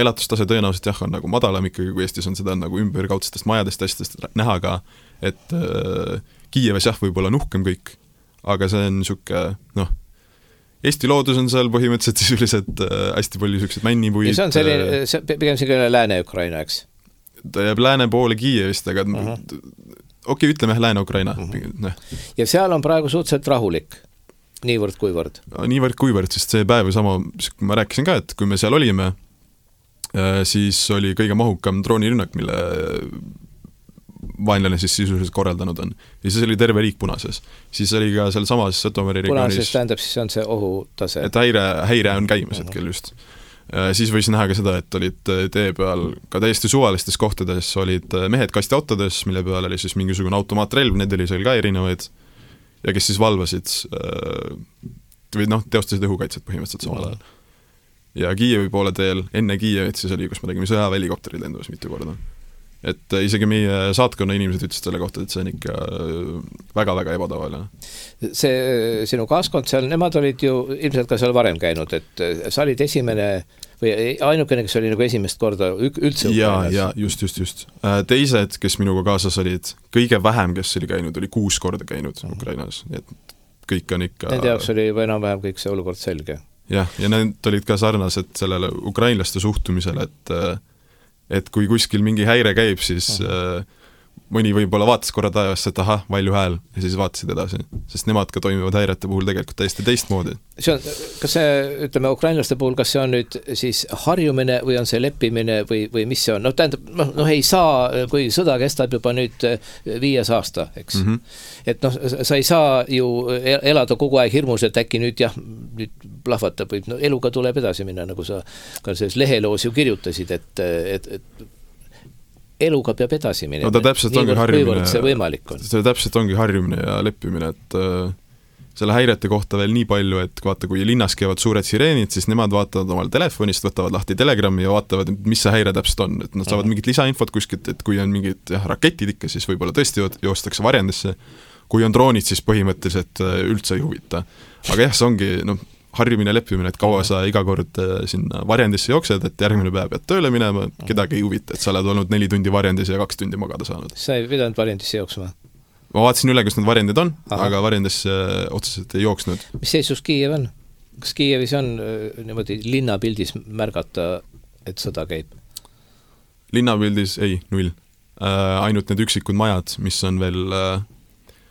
elatustase tõenäoliselt jah on nagu madalam ikkagi, kui Eestis on seda nagu ümberkaudsetest majadest asjadest näha ka, et Kiieves jah võib olla nuhkem kõik, aga see on niisugune, Eesti loodus on seal põhimõtteliselt sisuliselt hästi palju sellised männipuid. Ja see on selline, pigem selline Lääne-Ukraina, eks? Ta jääb lääne poole Kiievist, aga ütleme Lääne-Ukraina. Ja seal on praegu suhteliselt rahulik, niivõrd kuivõrd? Niivõrd kuivõrd, sest see päev sama, ma rääkisin ka, et kui me seal olime, siis oli kõige mahukam droonirünnak, mille vaenlane siis sisuliselt korraldanud on. Ja siis oli terve riik punases. Siis oli ka seal samas Žõtomõri regioonis... Punases tähendab, siis on see ohutase. Et häire on käimas hetkel just. Siis võis näha ka seda, et olid tee peal ka täiesti suvalistes kohtades olid mehed kastiautodes, mille peal oli siis mingisugune automaatrelv, need oli seal ka erinevaid ja kes siis valvasid või teostasid õhukaitset põhimõtteliselt samal ajal. Ja Kiievi poole teel, enne Kiievit siis oli, kus me tegime sõjaväelikopterid lendumas mitu korda. Et isegi meie saatkonna inimesed ütlesid selle kohta, et see on ikka väga-väga ebatavaline. See sinu kaaskond seal, nemad olid ju ilmselt ka seal varem käinud, et sa olid esimene või ainukene, kes oli nagu esimest korda üldse Ukrainas. Ja, just. Teised, kes minuga kaasas olid, kõige vähem, kes oli käinud, oli 6 korda käinud Ukrainas. Et kõik on ikka... Nende jaoks oli enam-vähem kõik see olukord selge. Ja need olid ka sarnased sellele ukrainlaste suhtumisele, et kui kuskil mingi häire käib, siis mõni võib-olla vaatas korra taevasse, et ahah, valju hääl ja siis vaatasid edasi, sest nemad ka toimivad häirete puhul tegelikult täiesti teistmoodi. Kas see, ütleme, ukrainlaste puhul, kas see on nüüd siis harjumine või on see leppimine või mis see on? Tähendab, ei saa, kui sõda kestab juba nüüd 5 aasta, eks. Et sa ei saa ju elada kogu aeg hirmus, et äkki nüüd plahvatab või eluga tuleb edasi minna, nagu sa ka selles leheloos ju kirjutasid, et eluga peab edasi minema. Ta täpselt ongi harjumine. See võimalik on. See täpselt ongi harjumine ja leppimine, et selle häirete kohta veel nii palju, et vaata, kui linnas käivad suured sireenid, siis nemad vaatavad omal telefonist, võtavad lahti Telegrami ja vaatavad, mis see häire täpselt on. Et nad saavad mingit lisainfot kuskilt, et kui on mingid raketid ikka, siis võib-olla tõesti joostakse varjendesse. Kui on droonid, siis põhimõtteliselt üldse ei huvita. Aga jah, see ongi, harjumine, leppimine, et kaua sa iga kord sinna varjendisse jooksed, et järgmine päev pead tööle minema, kedagi ei huvita, et sa oled olnud 4 tundi varjendis ja 2 tundi magada saanud. Sa ei pidanud varjendisse jooksma? Ma vaatasin üle, kus need varjendid on, aga varjendisse otseselt ei jooksnud. Mis seisus Kiiev on? Kas Kiievis on niimoodi linnapildis märgata, et sõda käib? Linnapildis ei, 0. Ainult need üksikud majad, mis on veel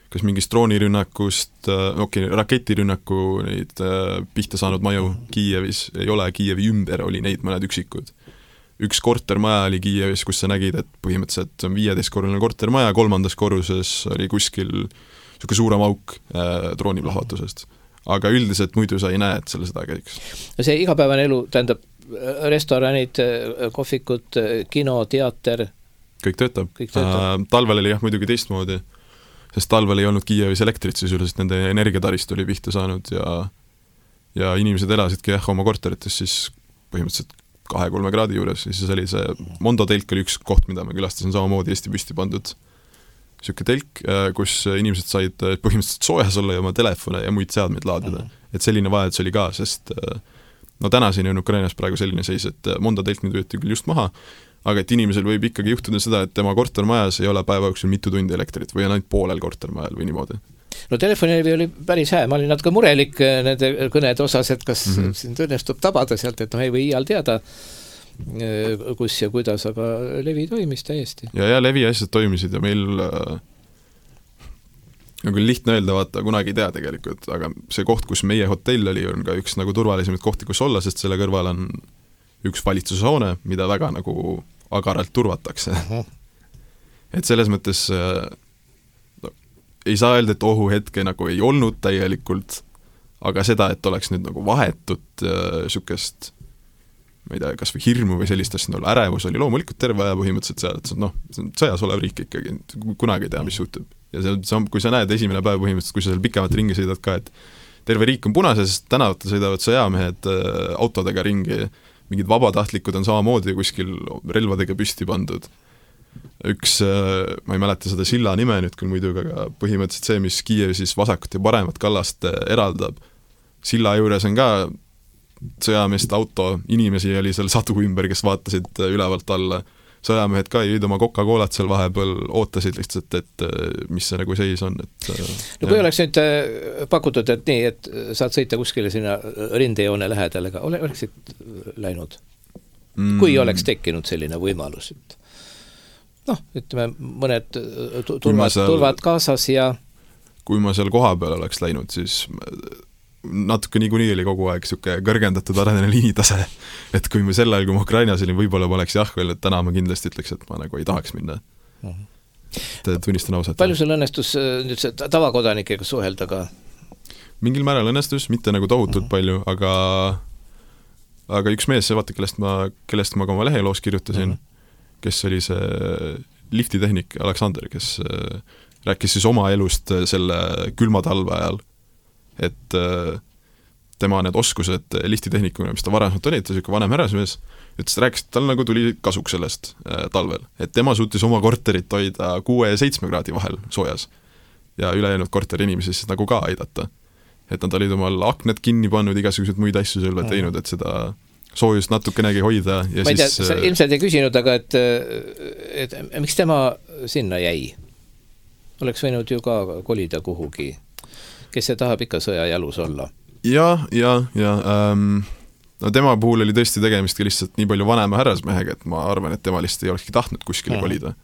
kas mingist droonirünnakust, raketirünnaku neid pihta saanud maju Kiievis ei ole, Kiievi ümber oli neid mõned üksikud. Üks kortermaja oli Kiievis, kus sa nägid, et põhimõtteliselt on 15-korruline kortermaja, 3. korruses oli kuskil niisugune suurem auk drooniplahvatusest. Aga üldiselt muidu sa ei näe, et selle seda käiks. See igapäevane elu, tähendab restoranid, kohvikud, kino, teater? Kõik töötab. Talvel oli jah muidugi teistmoodi, sest talvel ei olnud Kiievis elektrit, siis üldiselt nende energiatarist oli pihta saanud ja inimesed elasidki oma korterites siis põhimõtteliselt 2-3 kraadi juures, siis oli see Mondo telk oli üks koht, mida ma külastasin samamoodi Eesti püsti pandud niisugune telk, kus inimesed said põhimõtteliselt soojas olla ja oma telefone ja muid seadmeid laadida. Et selline vajadus oli ka, sest no tänaseni on Ukrainas praegu selline seis, et Mondo telk nüüd võeti küll just maha, aga et inimesel võib ikkagi juhtuda seda, et tema kortermajas ei ole päeva jooksul mitu tundi elektrit või on ainult poolel kortermajal või niimoodi. No telefonilevi oli päris hää, ma olin natuke murelik nende kõnede osas, et kas sind õnnestub tabada sealt, et ei või iial teada, kus ja kuidas, aga levi toimis täiesti. Ja levi asjad toimisid ja meil nagu lihtne öelda, vaata, kunagi ei tea tegelikult, aga see koht, kus meie hotell oli, on ka üks nagu turvalisemaid kohti, kus olla, sest selle kõrval on üks valitsushoone, mida väga nagu agaralt turvatakse. Et selles mõttes ei saa öelda, et ohuhetke nagu ei olnud täielikult, aga seda, et oleks nüüd nagu vahetut sükest, ma ei tea, kas või hirmu või sellist asja, ärevus oli loomulikult terve aja põhimõtteliselt seal, et noh, sõjas olev riik ikkagi, kunagi ei tea, mis juhtub. Ja see, kui sa näed esimene päev põhimõtteliselt, kui sa seal pikemat ringi sõidad ka, et terve riik on punases, sest tänavatel sõidavad sõjamehed autodega ringi, mingid vabatahtlikud on samamoodi kuskil relvadega püsti pandud. Üks, ma ei mäleta seda silla nime nüüd küll muidu, aga põhimõtteliselt see, mis Kiievi siis vasakut ja paremat kallast eraldab. Silla juures on ka sõjameeste auto, inimesi oli seal sadu ümber, kes vaatasid ülevalt alla. Sõjamehed ka jõid oma Coca-Colat seal vahepeal, ootasid lihtsalt, et mis see nagu seis on. No kui oleks nüüd pakutud, et nii, et saad sõita kuskile sinna rindejoone lähedale, aga oleksid läinud? Kui oleks tekkinud selline võimalus, et noh, ütleme, mõned turvad kaasas ja kui ma seal koha peal oleks läinud, siis natuke niikuinii oli kogu aeg siuke kõrgendatud arenene liinitase, et kui me sel ajal, kui ma Ukrainas olin, võib-olla ma oleks jah veel, et täna ma kindlasti ütleks, et ma nagu ei tahaks minna. Tunnistan ausalt. Palju sul õnnestus nüüd see tavakodanikega suhelda ka? Mingil määral õnnestus, mitte nagu tohutult palju, aga üks mees, vaata, kellest ma ka oma leheloos kirjutasin, kes oli see liftitehnik Aleksander, kes rääkis siis oma elust selle külma talve ajal, et tema need oskused liftitehnikuna, mis ta varemalt oli, et ta siuke vanem härrasmees, ütles, rääkis, et tal nagu tuli kasuks sellest talvel, et tema suutis oma korterit hoida 6 ja 7 kraadi vahel soojas ja ülejäänud korteri inimesi siis nagu ka aidata. Et nad olid omal akned kinni pannud, igasuguseid muid asju selle teinud, et seda soojust natukenegi hoida. Ja ma ei tea, sa ilmselt ei küsinud, aga et miks tema sinna jäi? Oleks võinud ju ka kolida kuhugi. Kes see tahab ikka sõja jalus olla? Ja. No tema puhul oli tõesti tegemist lihtsalt nii palju vanema härrasmehega, et ma arvan, et tema lihtsalt ei olekski tahtnud kuskile kolida.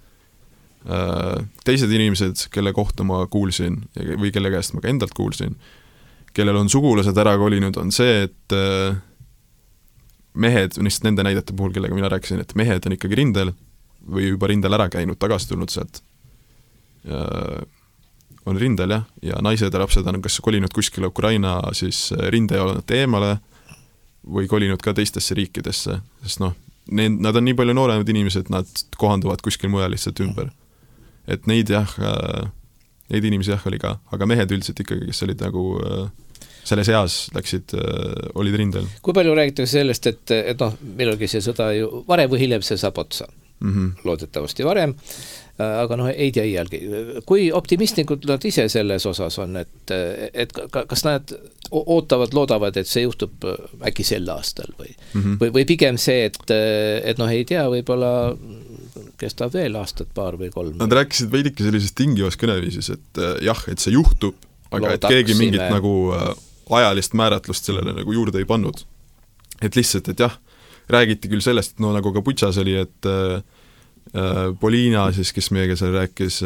Teised inimesed, kelle kohta ma kuulsin või kelle käest ma ka endalt kuulsin, kellel on sugulased ära kolinud, on see, et mehed, nende näidete puhul, kellega mina rääkisin, et mehed on ikkagi rindel või juba rindel ära käinud, tagasi tulnud sealt. On rindel ja naised ja lapsed on kas kolinud kuskile Ukraina siis rindejoonete eemale või kolinud ka teistesse riikidesse, sest noh, nad on nii palju nooremad inimesed, nad kohanduvad kuskil mujal lihtsalt ümber. Et neid inimesi oli ka, aga mehed üldiselt ikkagi, kes olid nagu selles eas läksid, olid rindel. Kui palju räägitakse sellest, et noh, millalgi see sõda ju varem või hiljem see saab otsa? loodetavasti varem, aga ei tea iialgi. Kui optimistlikud nad ise selles osas on, et kas nad loodavad, et see juhtub äkki sel aastal või pigem see, et ei tea, võib-olla kestab veel aastat, paar või 3. Nad rääkisid veidike sellises tingivas kõneviisis, et jah, et see juhtub, aga et keegi mingit nagu ajalist määratlust sellele nagu juurde ei pannud. Et lihtsalt, et jah, räägiti küll sellest, et nagu ka Butšas oli, et Poliina siis, kes meiega seal rääkis,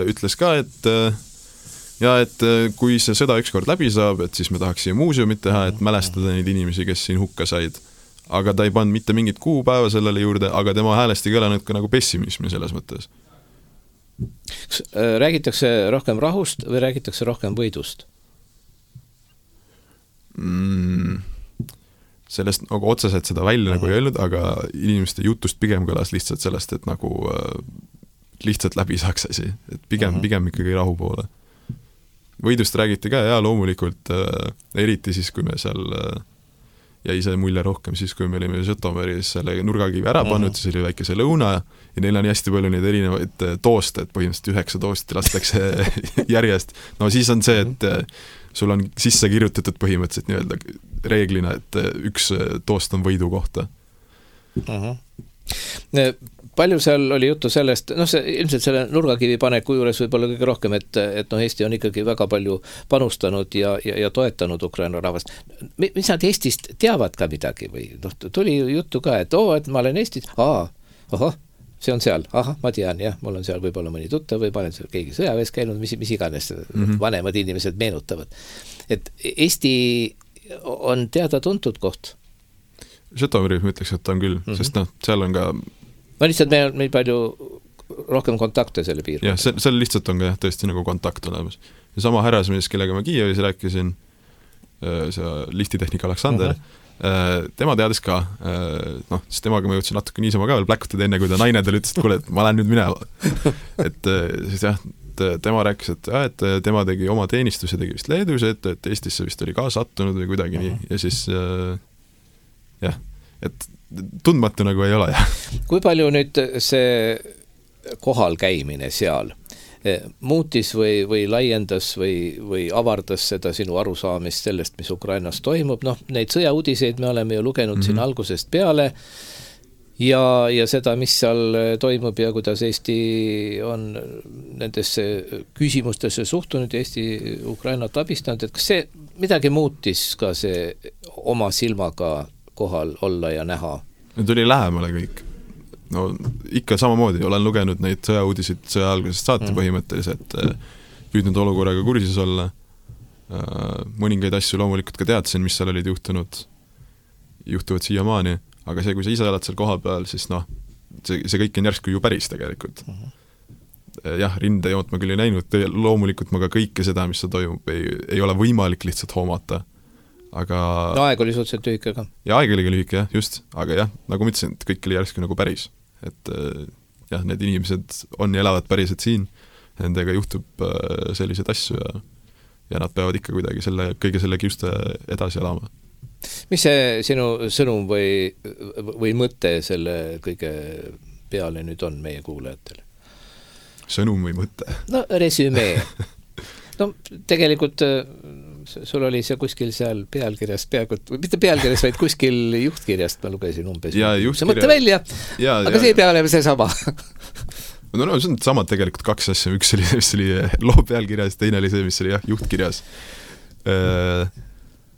ütles ka, et kui see sõda ükskord läbi saab, et siis me tahaks siia muuseumit teha, et mälestada neid inimesi, kes siin hukka said. Aga ta ei pannud mitte mingit kuupäeva sellele juurde, aga tema häälest ei kõlanud ka nagu pessimismi selles mõttes. Räägitakse rohkem rahust või räägitakse rohkem võidust? Sellest nagu otseselt seda välja nagu ei öelnud, aga inimeste jutust pigem kõlas lihtsalt sellest, et nagu lihtsalt läbi saaks asi, et pigem ikkagi rahu poole. Võidust räägiti ka ja loomulikult eriti siis, kui me seal jäi see mulje rohkem siis, kui me olime Žõtomõris selle nurgakivi ära pannud, siis oli väike see lõuna ja neil on hästi palju neid erinevaid tooste, et põhimõtteliselt 9 toosti lastakse järjest. No siis on see, et sul on sisse kirjutatud põhimõtteliselt nii-öelda reeglina, et üks toost on võidu kohta. Palju seal oli juttu sellest, ilmselt selle nurgakivi paneku juures võib-olla kõige rohkem, et Eesti on ikkagi väga palju panustanud ja toetanud Ukraina rahvast. Mis nad Eestist teavad ka midagi või tuli juttu ka, et et ma olen Eestis, see on seal, ma tean, jah, mul on seal võib-olla mõni tuttav või ma olen seal keegi sõjaväes käinud, mis iganes vanemad inimesed meenutavad. Et Eesti on teada-tuntud koht. Žõtomõri ma ütleks, et ta on küll, sest seal on ka lihtsalt meil palju rohkem kontakte selle piirkonda. Jah, seal lihtsalt on ka tõesti nagu kontakt olemas. Ja sama härrasmees, kellega ma Kiievis rääkisin, see liftitehnik Aleksander, tema teadis ka, siis temaga ma jõudsin natuke niisama ka veel pläkutada enne, kui ta naine tal ütles, et kuule, et ma lähen nüüd minema. Et siis jah, tema rääkis, et tema tegi oma teenistuse, tegi vist Leedus, et Eestisse vist oli ka sattunud või kuidagi nii, ja siis jah, et tundmatu nagu ei ole. Kui palju nüüd see kohal käimine seal muutis või laiendas või avardas seda sinu arusaamist sellest, mis Ukrainas toimub? Neid sõjauudiseid me oleme ju lugenud siin algusest peale ja seda, mis seal toimub ja kuidas Eesti on nendesse küsimustesse suhtunud ja Eesti Ukrainat abistanud, et kas see midagi muutis ka see oma silmaga kohal olla ja näha? Nüüd oli lähemale kõik. Ikka samamoodi olen lugenud neid sõjauudisid sõja algusest saati põhimõtteliselt, püüdnud olukorraga kursis olla. Mõningaid asju loomulikult ka teadsin, mis seal olid juhtuvad siiamaani, aga see, kui sa ise oled seal koha peal, siis see kõik on järsku ju päris tegelikult. Jah, rindejoont ma küll ei näinud, loomulikult ma ka kõike seda, mis seal toimub, ei ole võimalik lihtsalt hoomata. Aga aeg oli suhteliselt lühike ka. Ja aeg oli lühike, jah, just. Aga jah, nagu ma ütlesin, et kõik oli järsku nagu päris. Et jah, need inimesed on ja elavad päriselt siin, nendega juhtub sellised asju ja nad peavad ikka kuidagi kõige selle kiuste edasi elama. Mis see sinu sõnum või mõte selle kõige peale nüüd on meie kuulajatele? Sõnum või mõte? Resümee. Tegelikult sul oli see kuskil seal pealkirjast, mitte pealkirjast, vaid kuskil juhtkirjast ma lugesin umbes. See mõtte välja, aga see ei pea olema see sama. See on samad tegelikult 2 asja, üks oli, mis oli loo pealkirjas, teine oli see, mis oli juhtkirjas.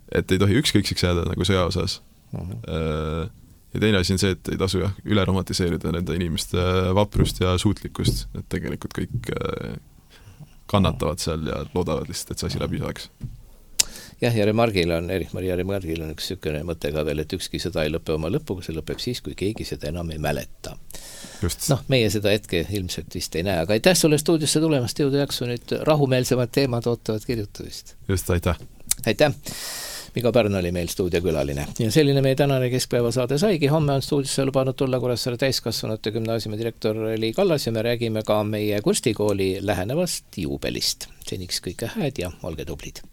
Et ei tohi ükskõikseks jääda nagu sõja osas. Ja teine asi on see, et ei tasu üle romantiseerida nende inimeste vaprust ja suutlikkust, et tegelikult kõik kannatavad seal ja loodavad lihtsalt, et see asi läbi saaks. Jah, ja Erich-Maria Remargil on üks sükene mõte ka veel, et ükski sõda ei lõpe oma lõpuga, see lõpeb siis, kui keegi seda enam ei mäleta. Just. Meie seda hetke ilmselt vist ei näe, aga aitäh sulle stuudiosse tulemast, jõudu jaksu, nüüd rahumeelsemad teemad ootavad kirjutamist. Just, aitäh. Aitäh. Miko Pärn oli meil stuudiokülaline. Ja selline meie tänane keskpäevasaade saigi. Homme on stuudiosse lubanud tulla Kuressaare täiskasvanute gümnaasiumi direktor Li Kallas ja me räägime ka meie kunstikooli lähenevast juubelist. Seniks kõike hääd ja olge tublid.